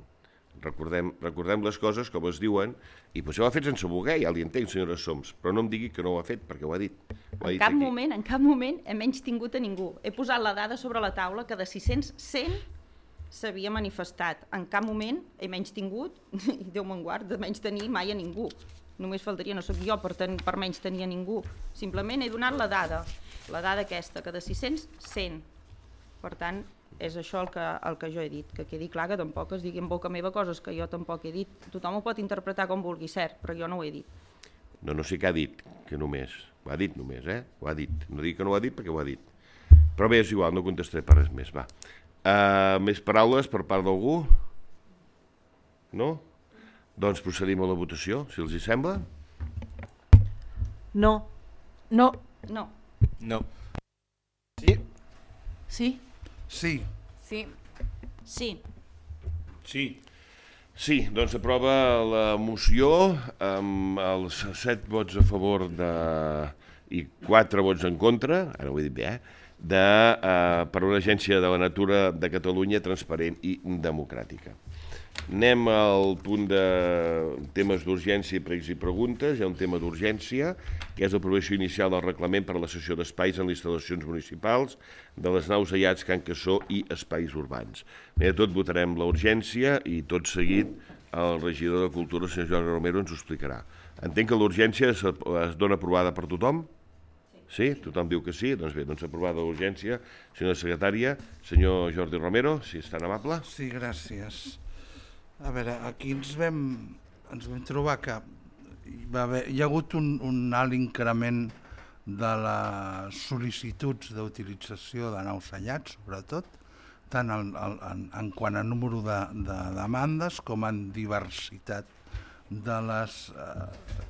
Recordem les coses com es diuen, i potser ho ha fet sense voler, ja li entenc, senyora Soms, però no em digui que no ho ha fet, perquè ho ha dit. En cap moment he menys tingut a ningú. He posat la dada sobre la taula que de 600, 100 s'havia manifestat. En cap moment he menys tingut, i Déu me'n guard, de menys tenir mai a ningú. Només faltaria, no sóc jo per menys tenir a ningú. Simplement he donat la dada aquesta, que de 600, 100. Per tant, és això el que jo he dit, que quedi clar que tampoc es digui en boca meva coses que jo tampoc he dit. Tothom ho pot interpretar com vulgui, cert, però jo no ho he dit. No sé què ha dit, que només. Ho ha dit només, Ho ha dit. No dic que no ho ha dit perquè ho ha dit. Però bé, és igual, no contestaré per res més, va. Més paraules per part d'algú? No? Doncs procedim a la votació, si els hi sembla. No. No. No. No. Sí. Sí. Sí. Sí. Sí. Sí. Sí, doncs s'aprova la moció amb els 7 vots a favor i 4 vots en contra, ara ho he dit bé, per una agència de la natura de Catalunya transparent i democràtica. Anem al punt de temes d'urgència, pregs i preguntes. Hi ha un tema d'urgència, que és l'aprovació inicial del reglament per a la cessió d'espais en les instal·lacions municipals de les naus Aiats, Can Cassó i espais urbans. Bé, de tot votarem la urgència i tot seguit el regidor de Cultura, el senyor Jordi Romero, ens ho explicarà. Entenc que l'urgència es dona aprovada per tothom? Sí? Tothom diu que sí? Doncs bé, doncs aprovada l'urgència. Senyora secretària, senyor Jordi Romero, si és tan amable. Sí, gràcies. A veure, aquí ens vam trobar que hi ha hagut un alt increment de les sol·licituds d'utilització de naus Aiats, sobretot, tant en quant a número de demandes com en diversitat de les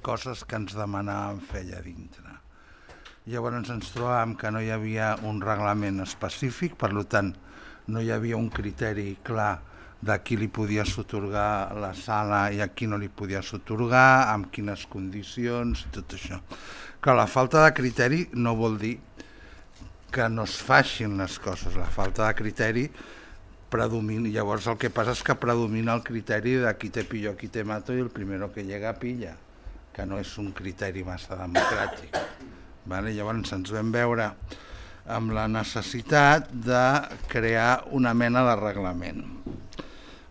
coses que ens demanàvem fer allà dintre. Llavors ens trobàvem que no hi havia un reglament específic, per tant no hi havia un criteri clar de qui li podies atorgar la sala i a qui no li podies atorgar, amb quines condicions i tot això. Clar, la falta de criteri no vol dir que no es facin les coses, la falta de criteri predomina. Llavors el que passa és que predomina el criteri de qui te pillo, qui te mato i el primero que llega pilla, que no és un criteri massa democràtic. Llavors ens vam veure amb la necessitat de crear una mena de reglament.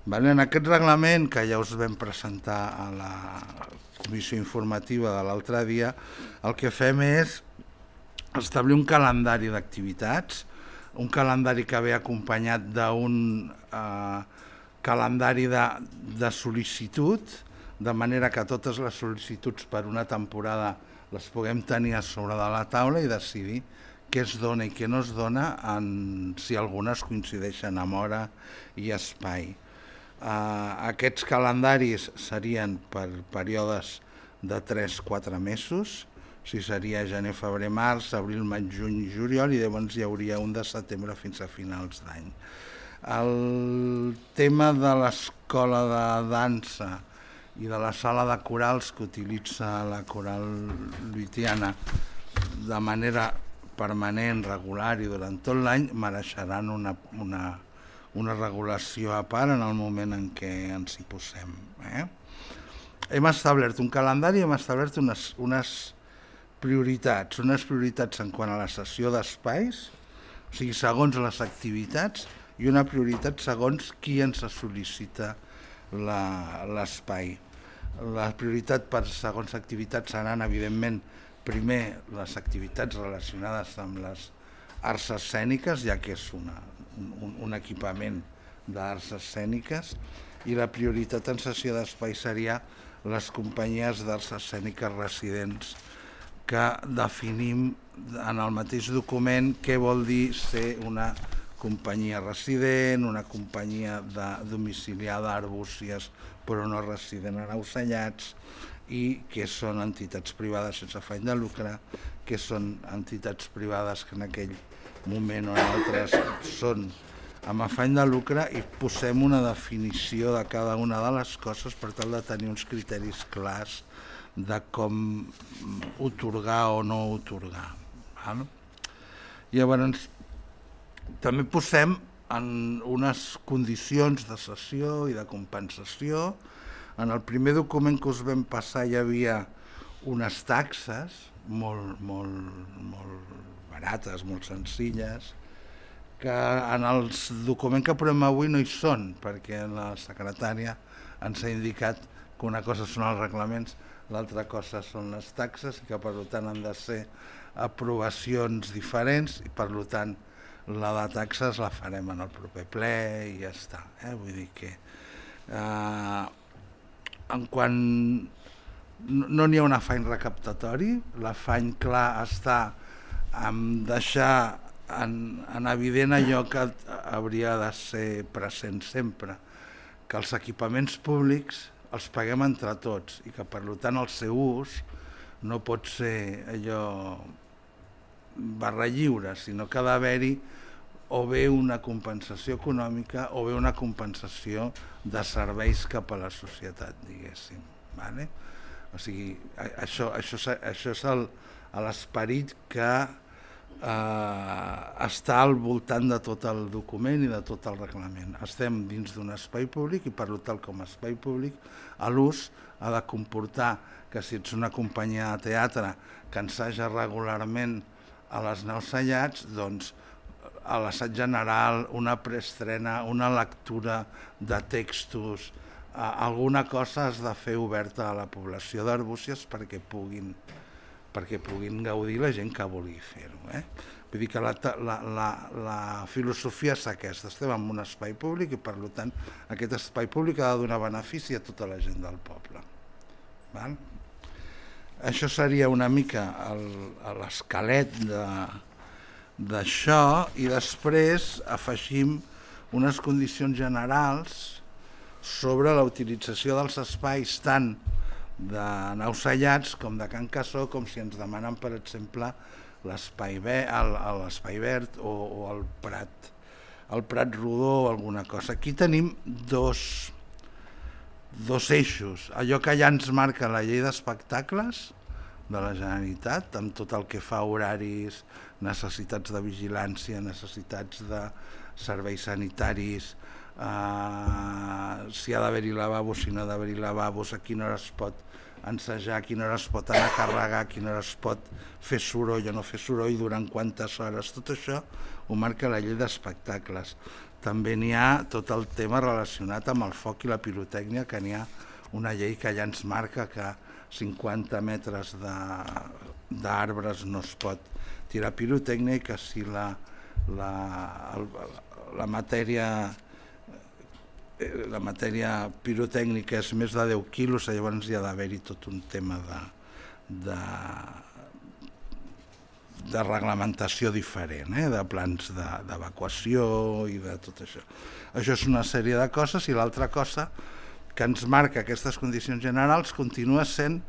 En aquest reglament, que ja us vam presentar a la comissió informativa de l'altre dia, el que fem és establir un calendari d'activitats, un calendari que ve acompanyat d'un calendari de sol·licitud, de manera que totes les sol·licituds per una temporada les puguem tenir a sobre de la taula i decidir què es dona i què no es dona, si algunes coincideixen amb hora i espai. Aquests calendaris serien per períodes de 3-4 mesos, si seria gener, febrer, març, abril, maig, juny i juliol, i llavors hi hauria un de setembre fins a finals d'any. El tema de l'escola de dansa i de la sala de corals que utilitza la coral lluitiana de manera permanent, regular i durant tot l'any mereixeran una regulació a part en el moment en què ens hi posem. Hem establert un calendari, hem establert unes prioritats en quant a la cessió d'espais, o sigui, segons les activitats, i una prioritat segons qui ens sol·licita l'espai. La prioritat per segons activitats seran, evidentment, primer les activitats relacionades amb les arts escèniques, ja que és un equipament d'arts escèniques, i la prioritat en cessió d'espai seria les companyies d'arts escèniques residents, que definim en el mateix document què vol dir ser una companyia resident, una companyia domiciliada a Arbúcies però no resident a naus Aiats, i que són entitats privades sense afany de lucre, que són entitats privades que en aquell moment o en altres són amb afany de lucre i posem una definició de cada una de les coses per tal de tenir uns criteris clars de com otorgar o no otorgar. Llavors, també posem en unes condicions de cessió i de compensació. En el primer document que us vam passar hi havia unes taxes molt barates, molt senzilles, que en el document que aprovem avui no hi són, perquè la secretària ens ha indicat que una cosa són els reglaments, l'altra cosa són les taxes, i que per tant han de ser aprovacions diferents, i per tant la de taxes la farem en el proper ple i ja està. Vull dir que en quan no n'hi ha un afany recaptatori, l'afany clar està en deixar en evident allò que hauria de ser present sempre, que els equipaments públics els paguem entre tots i que per tant el seu ús no pot ser allò barra lliure, sinó que ha d'haver-hi o bé una compensació econòmica o bé una compensació de serveis cap a la societat, diguéssim. O sigui, això és l'esperit que està al voltant de tot el document i de tot el reglament. Estem dins d'un espai públic i per tant com a espai públic l'ús ha de comportar que si ets una companyia de teatre que ensaja regularment a les naus Sallats, doncs a l'assaig general, una preestrena, una lectura de textos, alguna cosa has de fer oberta a la població d'Arbúcies perquè puguin gaudir la gent que vulgui fer-ho. Vull dir que la filosofia és aquesta, estem en un espai públic i per tant aquest espai públic ha de donar benefici a tota la gent del poble. Això seria una mica l'esquelet d'això i després afegim unes condicions generals sobre la utilització dels espais tant de Naus Sallats com de Can Cassó, com si ens demanen, per exemple, l'espai verd o el Prat Rodó o alguna cosa. Aquí tenim dos eixos. Allò que ja ens marca la llei d'espectacles de la Generalitat, amb tot el que fa a horaris, necessitats de vigilància, necessitats de serveis sanitaris, si ha d'haver-hi lavabos, si no ha d'haver-hi lavabos, a quina hora es pot ensajar, a quina hora es pot anar a carregar, a quina hora es pot fer soroll o no fer soroll, durant quantes hores. Tot això ho marca la llei d'espectacles. També n'hi ha tot el tema relacionat amb el foc i la pirotècnia, que n'hi ha una llei que ja ens marca que 50 metres d'arbres no es pot tirar pirotècnia i que si la matèria pirotècnica és més de 10 quilos, llavors hi ha d'haver-hi tot un tema de reglamentació diferent, de plans d'evacuació i de tot això. Això és una sèrie de coses i l'altra cosa que ens marca aquestes condicions generals continua sent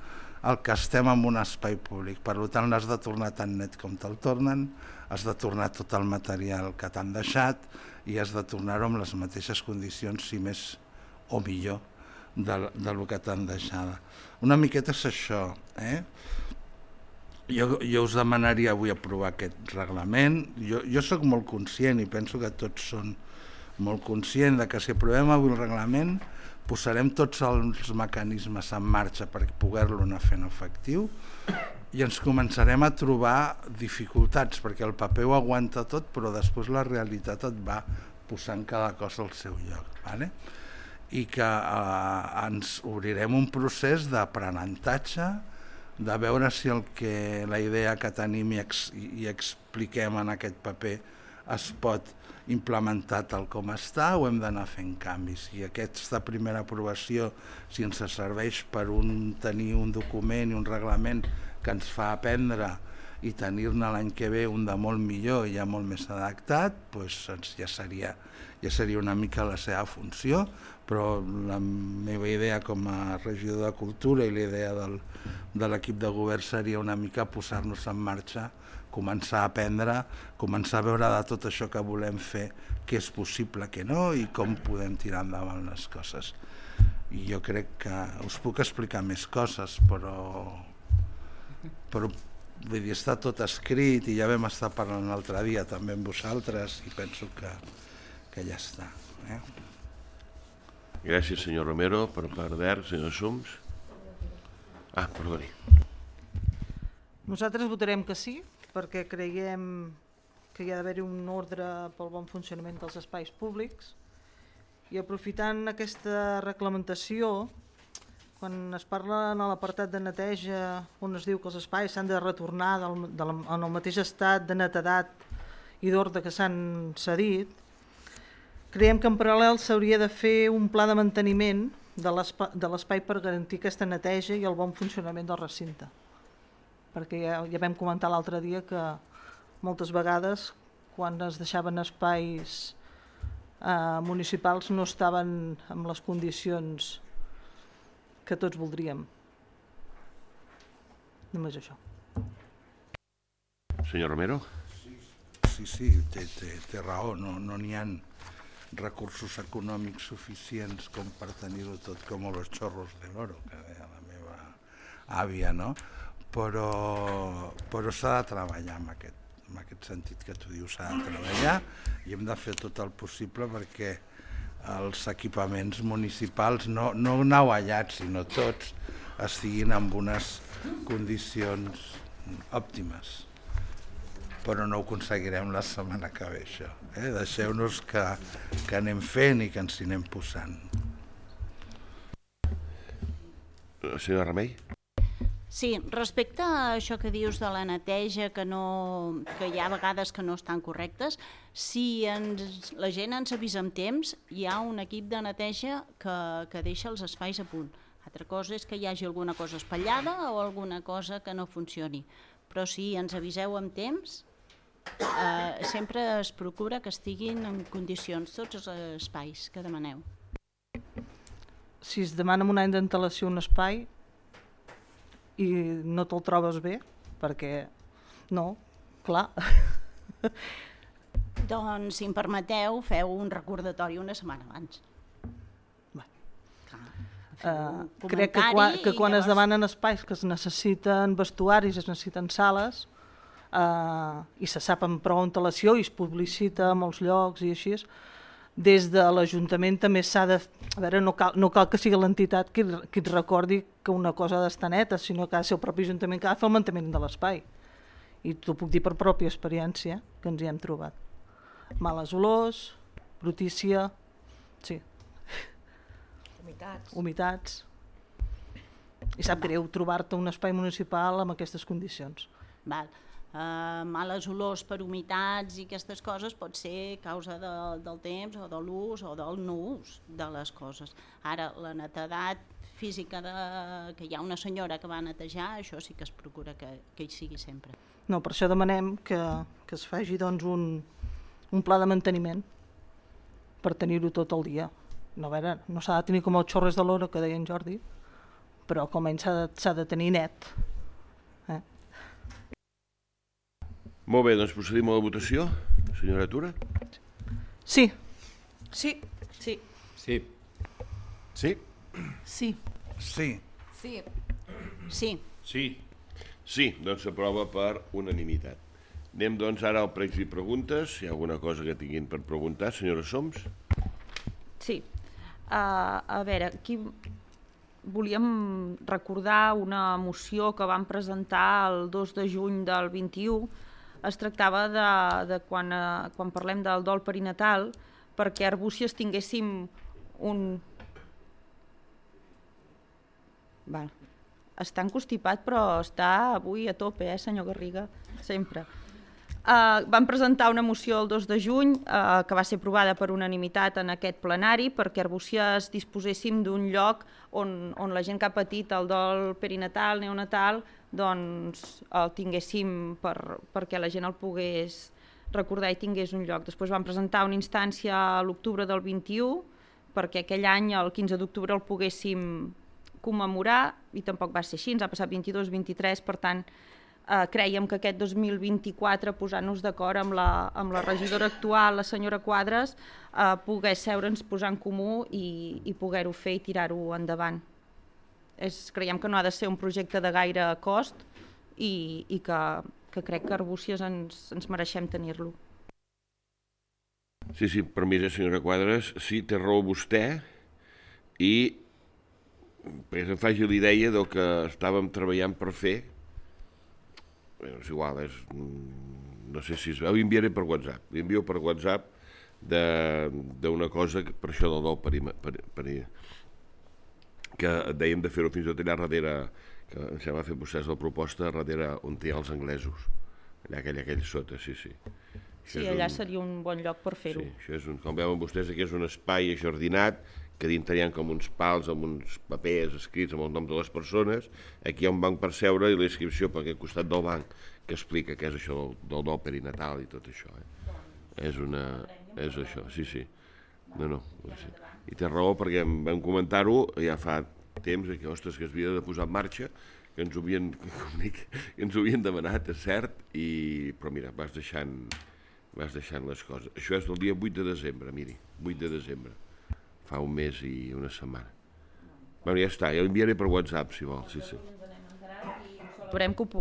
el que estem en un espai públic. Per tant, l'has de tornar tan net com te'l tornen, has de tornar tot el material que t'han deixat i has de tornar-ho amb les mateixes condicions, si més o millor, del que t'han deixat. Una miqueta és això. Jo us demanaria avui aprovar aquest reglament. Jo soc molt conscient i penso que tots són molt conscients que si aprovem avui el reglament posarem tots els mecanismes en marxa per poder-lo anar fent efectiu i ens començarem a trobar dificultats, perquè el paper ho aguanta tot, però després la realitat et va posant cada cosa al seu lloc. I que ens obrirem un procés d'aprenentatge, de veure si la idea que tenim i expliquem en aquest paper es pot implementar tal com està o hem d'anar fent canvis. I aquesta primera aprovació, si ens serveix per tenir un document i un reglament que ens fa aprendre i tenir-ne l'any que ve un de molt millor i ja molt més adaptat, doncs ja seria una mica la seva funció, però la meva idea com a regidor de Cultura i la idea de l'equip de govern seria una mica posar-nos en marxa començar a aprendre, començar a veure de tot això que volem fer, què és possible, què no, i com podem tirar endavant les coses. I jo crec que us puc explicar més coses, però vull dir, està tot escrit i ja vam estar parlant l'altre dia també amb vosaltres i penso que ja està. Gràcies, senyor Romero. Per part d'ERC, senyor Sums. Perdoni. Nosaltres votarem que sí, perquè creiem que hi ha d'haver un ordre pel bon funcionament dels espais públics i aprofitant aquesta reglamentació, quan es parla en l'apartat de neteja on es diu que els espais s'han de retornar en el mateix estat de netedat i d'ordre que s'han cedit, creiem que en paral·lel s'hauria de fer un pla de manteniment de l'espai per garantir aquesta neteja i el bon funcionament del recinte. Perquè ja vam comentar l'altre dia que moltes vegades quan es deixaven espais municipals no estaven en les condicions que tots voldríem. Només això. Senyor Romero? Sí, té raó, no n'hi ha recursos econòmics suficients com per tenir-ho tot com los chorros de l'oro, que deia la meva àvia, no? Però s'ha de treballar en aquest sentit que tu dius, s'ha de treballar i hem de fer tot el possible perquè els equipaments municipals, no nauvallats, sinó tots, estiguin en unes condicions òptimes. Però no ho aconseguirem la setmana que ve, això. Deixeu-nos que anem fent i que ens hi anem posant. Senyora Remei? Sí, respecte a això que dius de la neteja, que hi ha vegades que no estan correctes, si la gent ens avisa amb temps, hi ha un equip de neteja que deixa els espais a punt. Altra cosa és que hi hagi alguna cosa espatllada o alguna cosa que no funcioni. Però si ens aviseu amb temps, sempre es procura que estiguin en condicions tots els espais que demaneu. Si es demana amb un any d'antelació un espai i no te'l trobes bé, perquè no, clar. Doncs, si em permeteu, feu un recordatori una setmana abans. Crec que quan es demanen espais que es necessiten vestuaris, es necessiten sales, i se sap amb prou antelació i es publicita a molts llocs i així, des de l'Ajuntament també s'ha de... A veure, no cal que sigui l'entitat qui et recordi que una cosa ha d'estar neta, sinó que ha de ser el propi Ajuntament que ha de fer el manteniment de l'espai. I t'ho puc dir per pròpia experiència, que ens hi hem trobat. Males olors, brutícia, sí. Humitats. I sap greu trobar-te un espai municipal amb aquestes condicions. Val. Males olors per humitats i aquestes coses pot ser causa del temps o de l'ús o del no ús de les coses. Ara, la netedat física que hi ha una senyora que va netejar, això sí que es procura que hi sigui sempre. No, per això demanem que es faci doncs, un pla de manteniment per tenir-ho tot el dia. No, a veure, no s'ha de tenir com els xorres de l'oro que deia en Jordi, però almenys s'ha de tenir net. Molt bé, doncs procedim a la votació. Senyora Tura? Sí. Sí. Sí. Sí? Sí. Sí. Sí. Sí. Sí. Sí, doncs s'aprova per unanimitat. Anem doncs ara al pregs i preguntes. Si hi ha alguna cosa que tinguin per preguntar, senyora Soms? Sí. A veure, aquí volíem recordar una moció que vam presentar el 2 de juny del 21. Es tractava de quan parlem del dol perinatal, perquè a Arbúcies tinguéssim un... Està encostipat, però està avui a tope, senyor Garriga, sempre. Vam presentar una moció el 2 de juny que va ser aprovada per unanimitat en aquest plenari perquè a Arbúcies disposéssim d'un lloc on la gent que ha patit el dol perinatal, neonatal, doncs el tinguéssim perquè la gent el pogués recordar i tingués un lloc. Després vam presentar una instància a l'octubre del 21 perquè aquell any, el 15 d'octubre, el poguéssim commemorar i tampoc va ser així, ens ha passat 22-23, per tant, Crèiem que aquest 2024, posant-nos d'acord amb la regidora actual, la senyora Quadres, pogués seure'ns, posar en comú i poder-ho fer i tirar-ho endavant. Creiem que no ha de ser un projecte de gaire cost i que crec que Arbúcies ens mereixem tenir-lo. Sí, per mi, senyora Quadres, sí, té raó vostè, i perquè se'm faci la idea del que estàvem treballant per fer. És igual, no sé si es veu, enviaré per WhatsApp. Envio per WhatsApp d'una cosa, per això del nou que dèiem de fer-ho fins i tot allà darrere, que em sembla fer vostès la proposta darrere on hi ha els anglesos, allà aquell sota, sí. Sí, allà seria un bon lloc per fer-ho. Sí, això és com veuen vostès, aquí és un espai ajardinat, que dintre hi ha com uns pals amb uns papers escrits amb el nom de les persones. Aquí hi ha un banc per seure i la inscripció per aquest costat del banc que explica què és això del nou perinatal i tot això. És això, sí. No. I té raó perquè vam comentar-ho ja fa temps, que ostres, que es havia de posar en marxa, que ens ho havien demanat, és cert, però mira, vas deixant les coses. Això és del dia 8 de desembre, miri, 8 de desembre. Fa un mes i una setmana. Bueno, ja està, ja l'enviaré per WhatsApp, si vol, sí.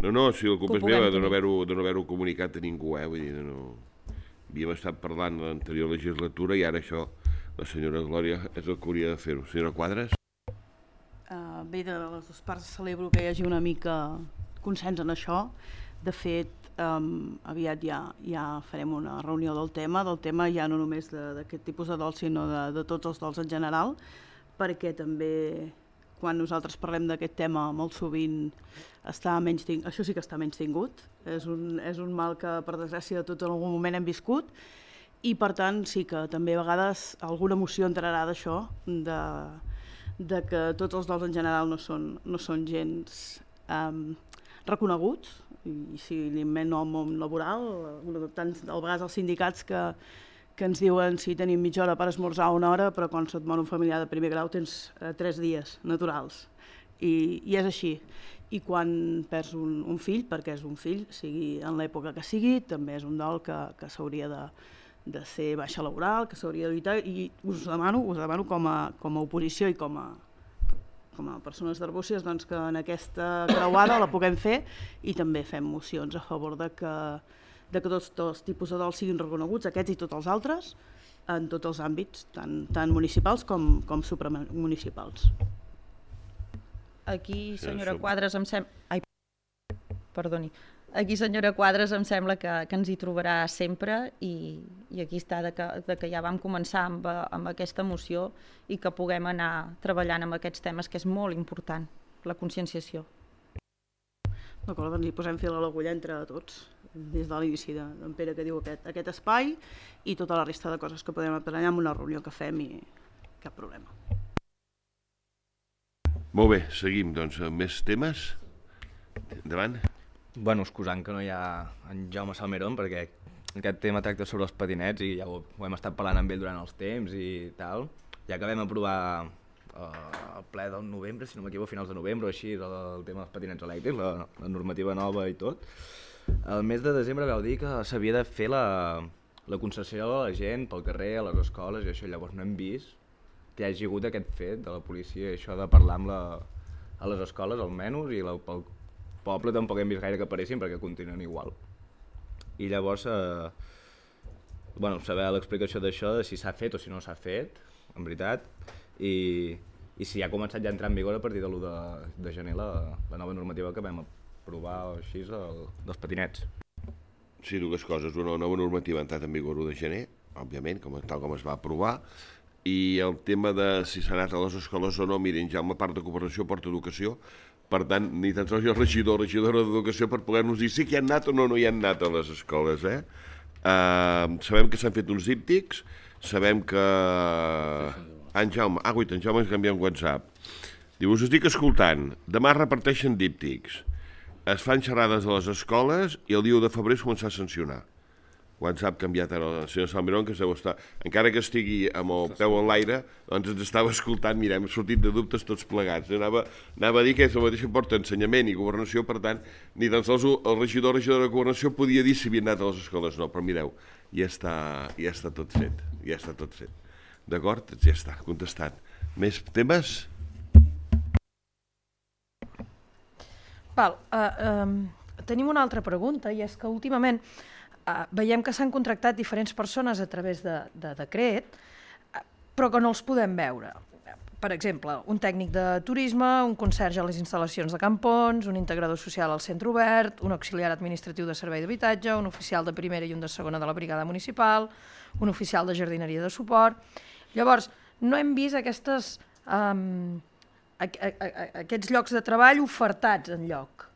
No, si la culpa és meva de no haver-ho comunicat a ningú, vull dir, no. Havíem estat parlant de l'anterior legislatura i ara això, la senyora Glòria és el que hauria de fer-ho. Senyora Quadres? Bé, de les dues parts celebro que hi hagi una mica consens en això. De fet, aviat ja farem una reunió del tema ja no només d'aquest tipus de dol, sinó de tots els dols en general, perquè també quan nosaltres parlem d'aquest tema molt sovint això sí que està menys tingut, és un mal que per desgràcia de tots en algun moment hem viscut, i per tant sí que també a vegades alguna emoció entrarà d'això, de que tots els dols en general no són gens reconeguts, i si anem al món laboral, tant a vegades els sindicats que ens diuen si tenim mitja hora per esmorzar o una hora, però quan se't mor un familiar de primer grau tens 3 dies naturals, i és així. I quan perds un fill, perquè és un fill, sigui en l'època que sigui, també és un dol que s'hauria de ser baixa laboral, que s'hauria d'evitar, i us demano com a oposició i com a persones d'Arbúcies, doncs, que en aquesta creuada la puguem fer i també fem mocions a favor de que tots els tipus de dols siguin reconeguts, aquests i tots els altres, en tots els àmbits, tant municipals com supramunicipals. Aquí, senyora Quadres, em sembla que ens hi trobarà sempre, i aquí està que ja vam començar amb aquesta moció i que puguem anar treballant amb aquests temes, que és molt important, la conscienciació. D'acord, doncs hi posem fil a l'agulla entre tots, des de l'inici d'en Pere que diu aquest espai i tota la resta de coses que podem aprendre en una reunió que fem, i cap problema. Molt bé, seguim doncs amb més temes. Endavant. Bueno, excusant que no hi ha en Jaume Salmerón, perquè aquest tema tracta sobre els patinets i ja ho hem estat parlant amb ell durant els temps i tal. Ja que vam aprovar el ple del novembre, si no m'equivoco, finals de novembre o així, el tema dels patinets elèctrics, la normativa nova i tot, el mes de desembre vau dir que s'havia de fer la concessió a la gent pel carrer, a les escoles i això. Llavors no hem vist que hi hagi hagut aquest fet de la policia, això de parlar a les escoles almenys, i pel poble tampoc hem vist gaire que apareixin perquè continuen igual. I llavors, saber l'explicació d'això, de si s'ha fet o si no s'ha fet, en veritat, i si ha començat ja a entrar en vigor a partir de l'1 de gener la nova normativa que vam aprovar així dels patinets. Sí, dues coses. Una nova normativa ha entrat en vigor l'1 de gener, òbviament, tal com es va aprovar, i el tema de si s'ha anat a les escoles o no, miren, ja amb la part de cooperació porta educació, per tant, ni tan sols hi ha el regidor o regidora d'educació per poder-nos dir si hi han anat o no hi han anat a les escoles. Sabem que s'han fet uns díptics, sabem que... En Jaume ens canvia en WhatsApp. Diu, us estic escoltant, demà reparteixen díptics, es fan xerrades a les escoles i el dia 1 de febrer es comença a sancionar. quan s'ha canviat ara el senyor Salmerón, que encara que estigui amb el peu en l'aire, doncs ens estava escoltant, mira, hem sortit de dubtes tots plegats. Anava a dir que és el mateix que porta ensenyament i governació, per tant, ni tan sols el regidor de governació podia dir si havien anat a les escoles o no, però mireu, ja està tot fet, ja està tot fet. D'acord? Ja està, contestat. Més temes? Tenim una altra pregunta, i és que últimament veiem que s'han contractat diferents persones a través de decret, però que no els podem veure. Per exemple, un tècnic de turisme, un conserge a les instal·lacions de Campons, un integrador social al centre obert, un auxiliar administratiu de servei d'habitatge, un oficial de primera i un de segona de la brigada municipal, un oficial de jardineria de suport. Llavors, no hem vist aquests llocs de treball ofertats enlloc.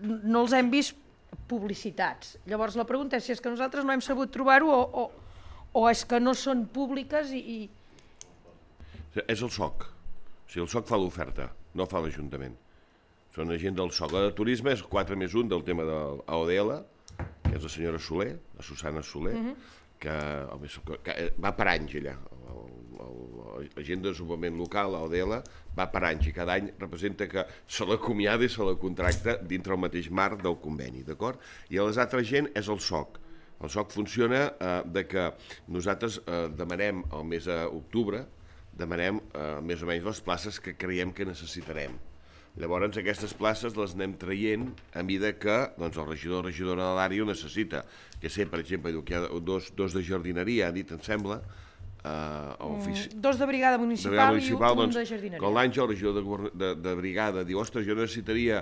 No els hem vist publicitats. Llavors la pregunta és si és que nosaltres no hem sabut trobar-ho o és que no són públiques i... És el SOC. O sigui, el SOC fa l'oferta, no fa l'Ajuntament. Són la gent del SOC. La de turisme és 4+1 del tema de l'AODL, que és la senyora Soler, la Susana Soler, que va per anys allà. La gent de desenvolupament local, l'AODL, va per anys i cada any representa que se l'acomiada i se la contracta dintre el mateix marc del conveni, d'acord? I a les altres gent és el SOC. El SOC funciona de que nosaltres demanem al mes d'octubre, demanem més o menys les places que creiem que necessitarem. Llavors aquestes places les anem traient a mida que el regidor o regidora de l'àrea ho necessita. Que sé, per exemple, que hi ha dos de jardineria, ha dit, em sembla, dos de brigada municipal i un de jardineria. Quan l'Àngel, el regidor de brigada, diu, ostres, jo necessitaria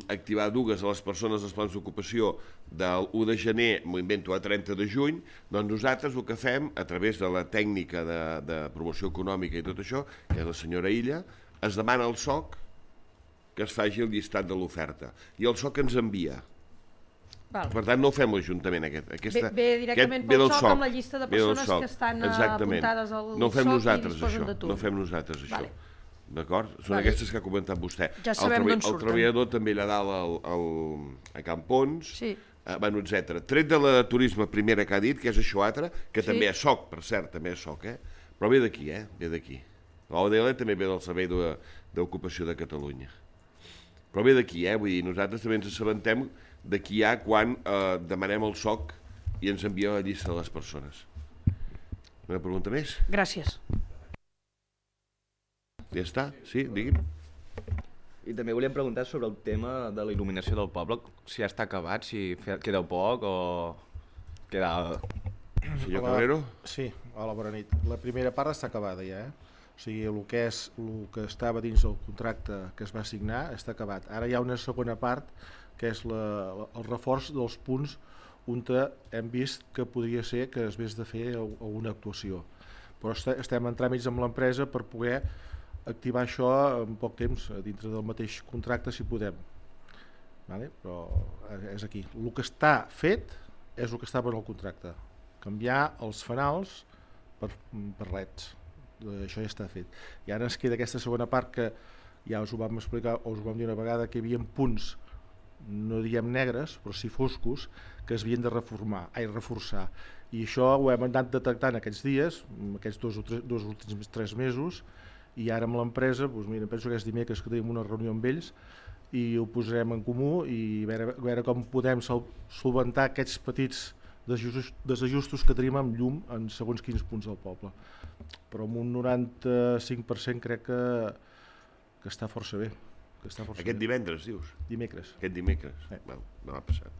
activar dues a les persones dels plans d'ocupació del 1 de gener, m'ho invento, a 30 de juny, doncs nosaltres el que fem, a través de la tècnica de promoció econòmica i tot això, que és la senyora Illa, es demana al SOC que es faci el llistat de l'oferta. I el SOC ens envia. Per tant, no ho fem l'Ajuntament, aquest. Ve directament pel SOC amb la llista de persones que estan apuntades al SOC i disposen de tu. No fem nosaltres això. D'acord? Són aquestes que ha comentat vostè. Ja sabem d'on surten. El treballador també allà dalt a Campons, etc. Tret de la turisme primera que ha dit, que és això altre, que també és SOC, per cert, també és SOC, però ve d'aquí, ve d'aquí. L'ODL també ve del Servei d'Ocupació de Catalunya. Però ve d'aquí, vull dir, nosaltres també ens assabentem de qui hi ha quan demanem el SOC i ens envia la llista de les persones. Una pregunta més? Gràcies. Ja està? Sí, digui'm. I també volíem preguntar sobre el tema de la il·luminació del poble, si ja està acabat, si queda poc o queda... Senyor Cabrero? Sí, hola, bona nit. La primera part està acabada ja, O sigui, el que estava dins del contracte que es va signar està acabat. Ara hi ha una segona part, que és el reforç dels punts on hem vist que podria ser que es hagués de fer alguna actuació. Però estem en tràmits amb l'empresa per poder activar això en poc temps, dintre del mateix contracte, si podem. Però és aquí. El que està fet és el que estava en el contracte. Canviar els fanals per leds. Això ja està fet. I ara ens queda aquesta segona part que ja us ho vam explicar, o us ho vam dir una vegada, que hi havia punts, no diem negres, però sí foscos, que es havien de reforçar. I això ho hem anat detectant aquests dies, aquests dos últims 3 mesos, i ara amb l'empresa, penso que és dimecres que tenim una reunió amb ells, i ho posarem en comú i veure com podem solventar aquests petits desajustos que tenim amb llum en segons quins punts del poble. Però amb un 95% crec que està força bé. Aquest divendres, dius? Dimecres. Aquest dimecres? No ha passat.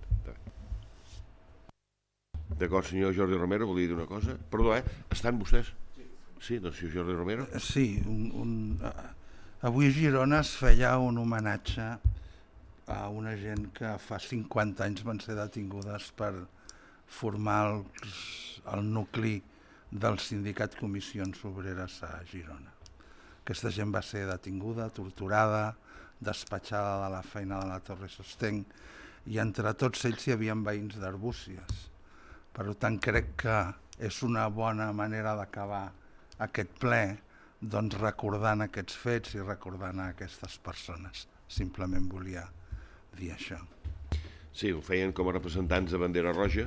D'acord, senyor Jordi Romero, volia dir una cosa? Perdó, estan vostès? Sí, doncs senyor Jordi Romero? Sí, avui a Girona es feia un homenatge a una gent que fa 50 anys van ser detingudes per formar el nucli del sindicat Comissions Obreres a Girona. Aquesta gent va ser detinguda, torturada, despatxada de la feina de la Torre Sosteng, i entre tots ells hi havia veïns d'Arbúcies. Per tant, crec que és una bona manera d'acabar aquest ple, doncs recordant aquests fets i recordant aquestes persones. Simplement volia dir això. Sí, ho feien com a representants de Bandera Roja,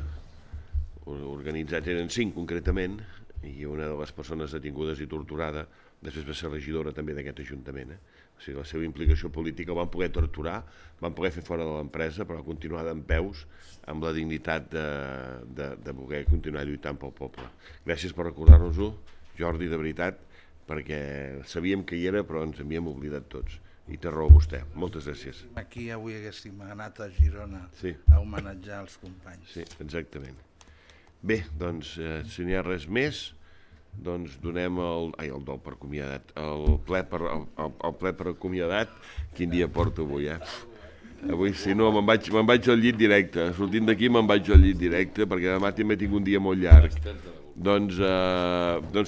organitzats eren 5 concretament, i una de les persones detingudes i torturada després va ser regidora també d'aquest ajuntament. O sigui, la seva implicació política el van poder torturar, van poder fer fora de l'empresa, però va continuar dempeus amb la dignitat de voler continuar lluitant pel poble. Gràcies per recordar-nos-ho, Jordi, de veritat, perquè sabíem que hi era, però ens havíem oblidat tots. I té raó vostè. Moltes gràcies. Aquí avui haguéssim anat a Girona a homenatjar els companys. Sí, exactament. Bé, doncs, si n'hi ha res més, doncs donem el dol per acomiadat, el ple per acomiadat. Quin dia porto avui, Avui, si no, me'n vaig al llit directe. Sortint d'aquí me'n vaig al llit directe, perquè demà també tinc un dia molt llarg. Doncs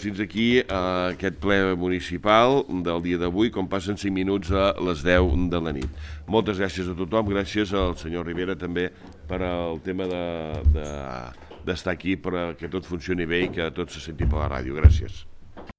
fins aquí aquest ple municipal del dia d'avui, com passen 5 minuts a les 10 de la nit. Moltes gràcies a tothom, gràcies al senyor Rivera també per el tema d'estar aquí, perquè tot funcioni bé i que tot se senti per la ràdio. Gràcies.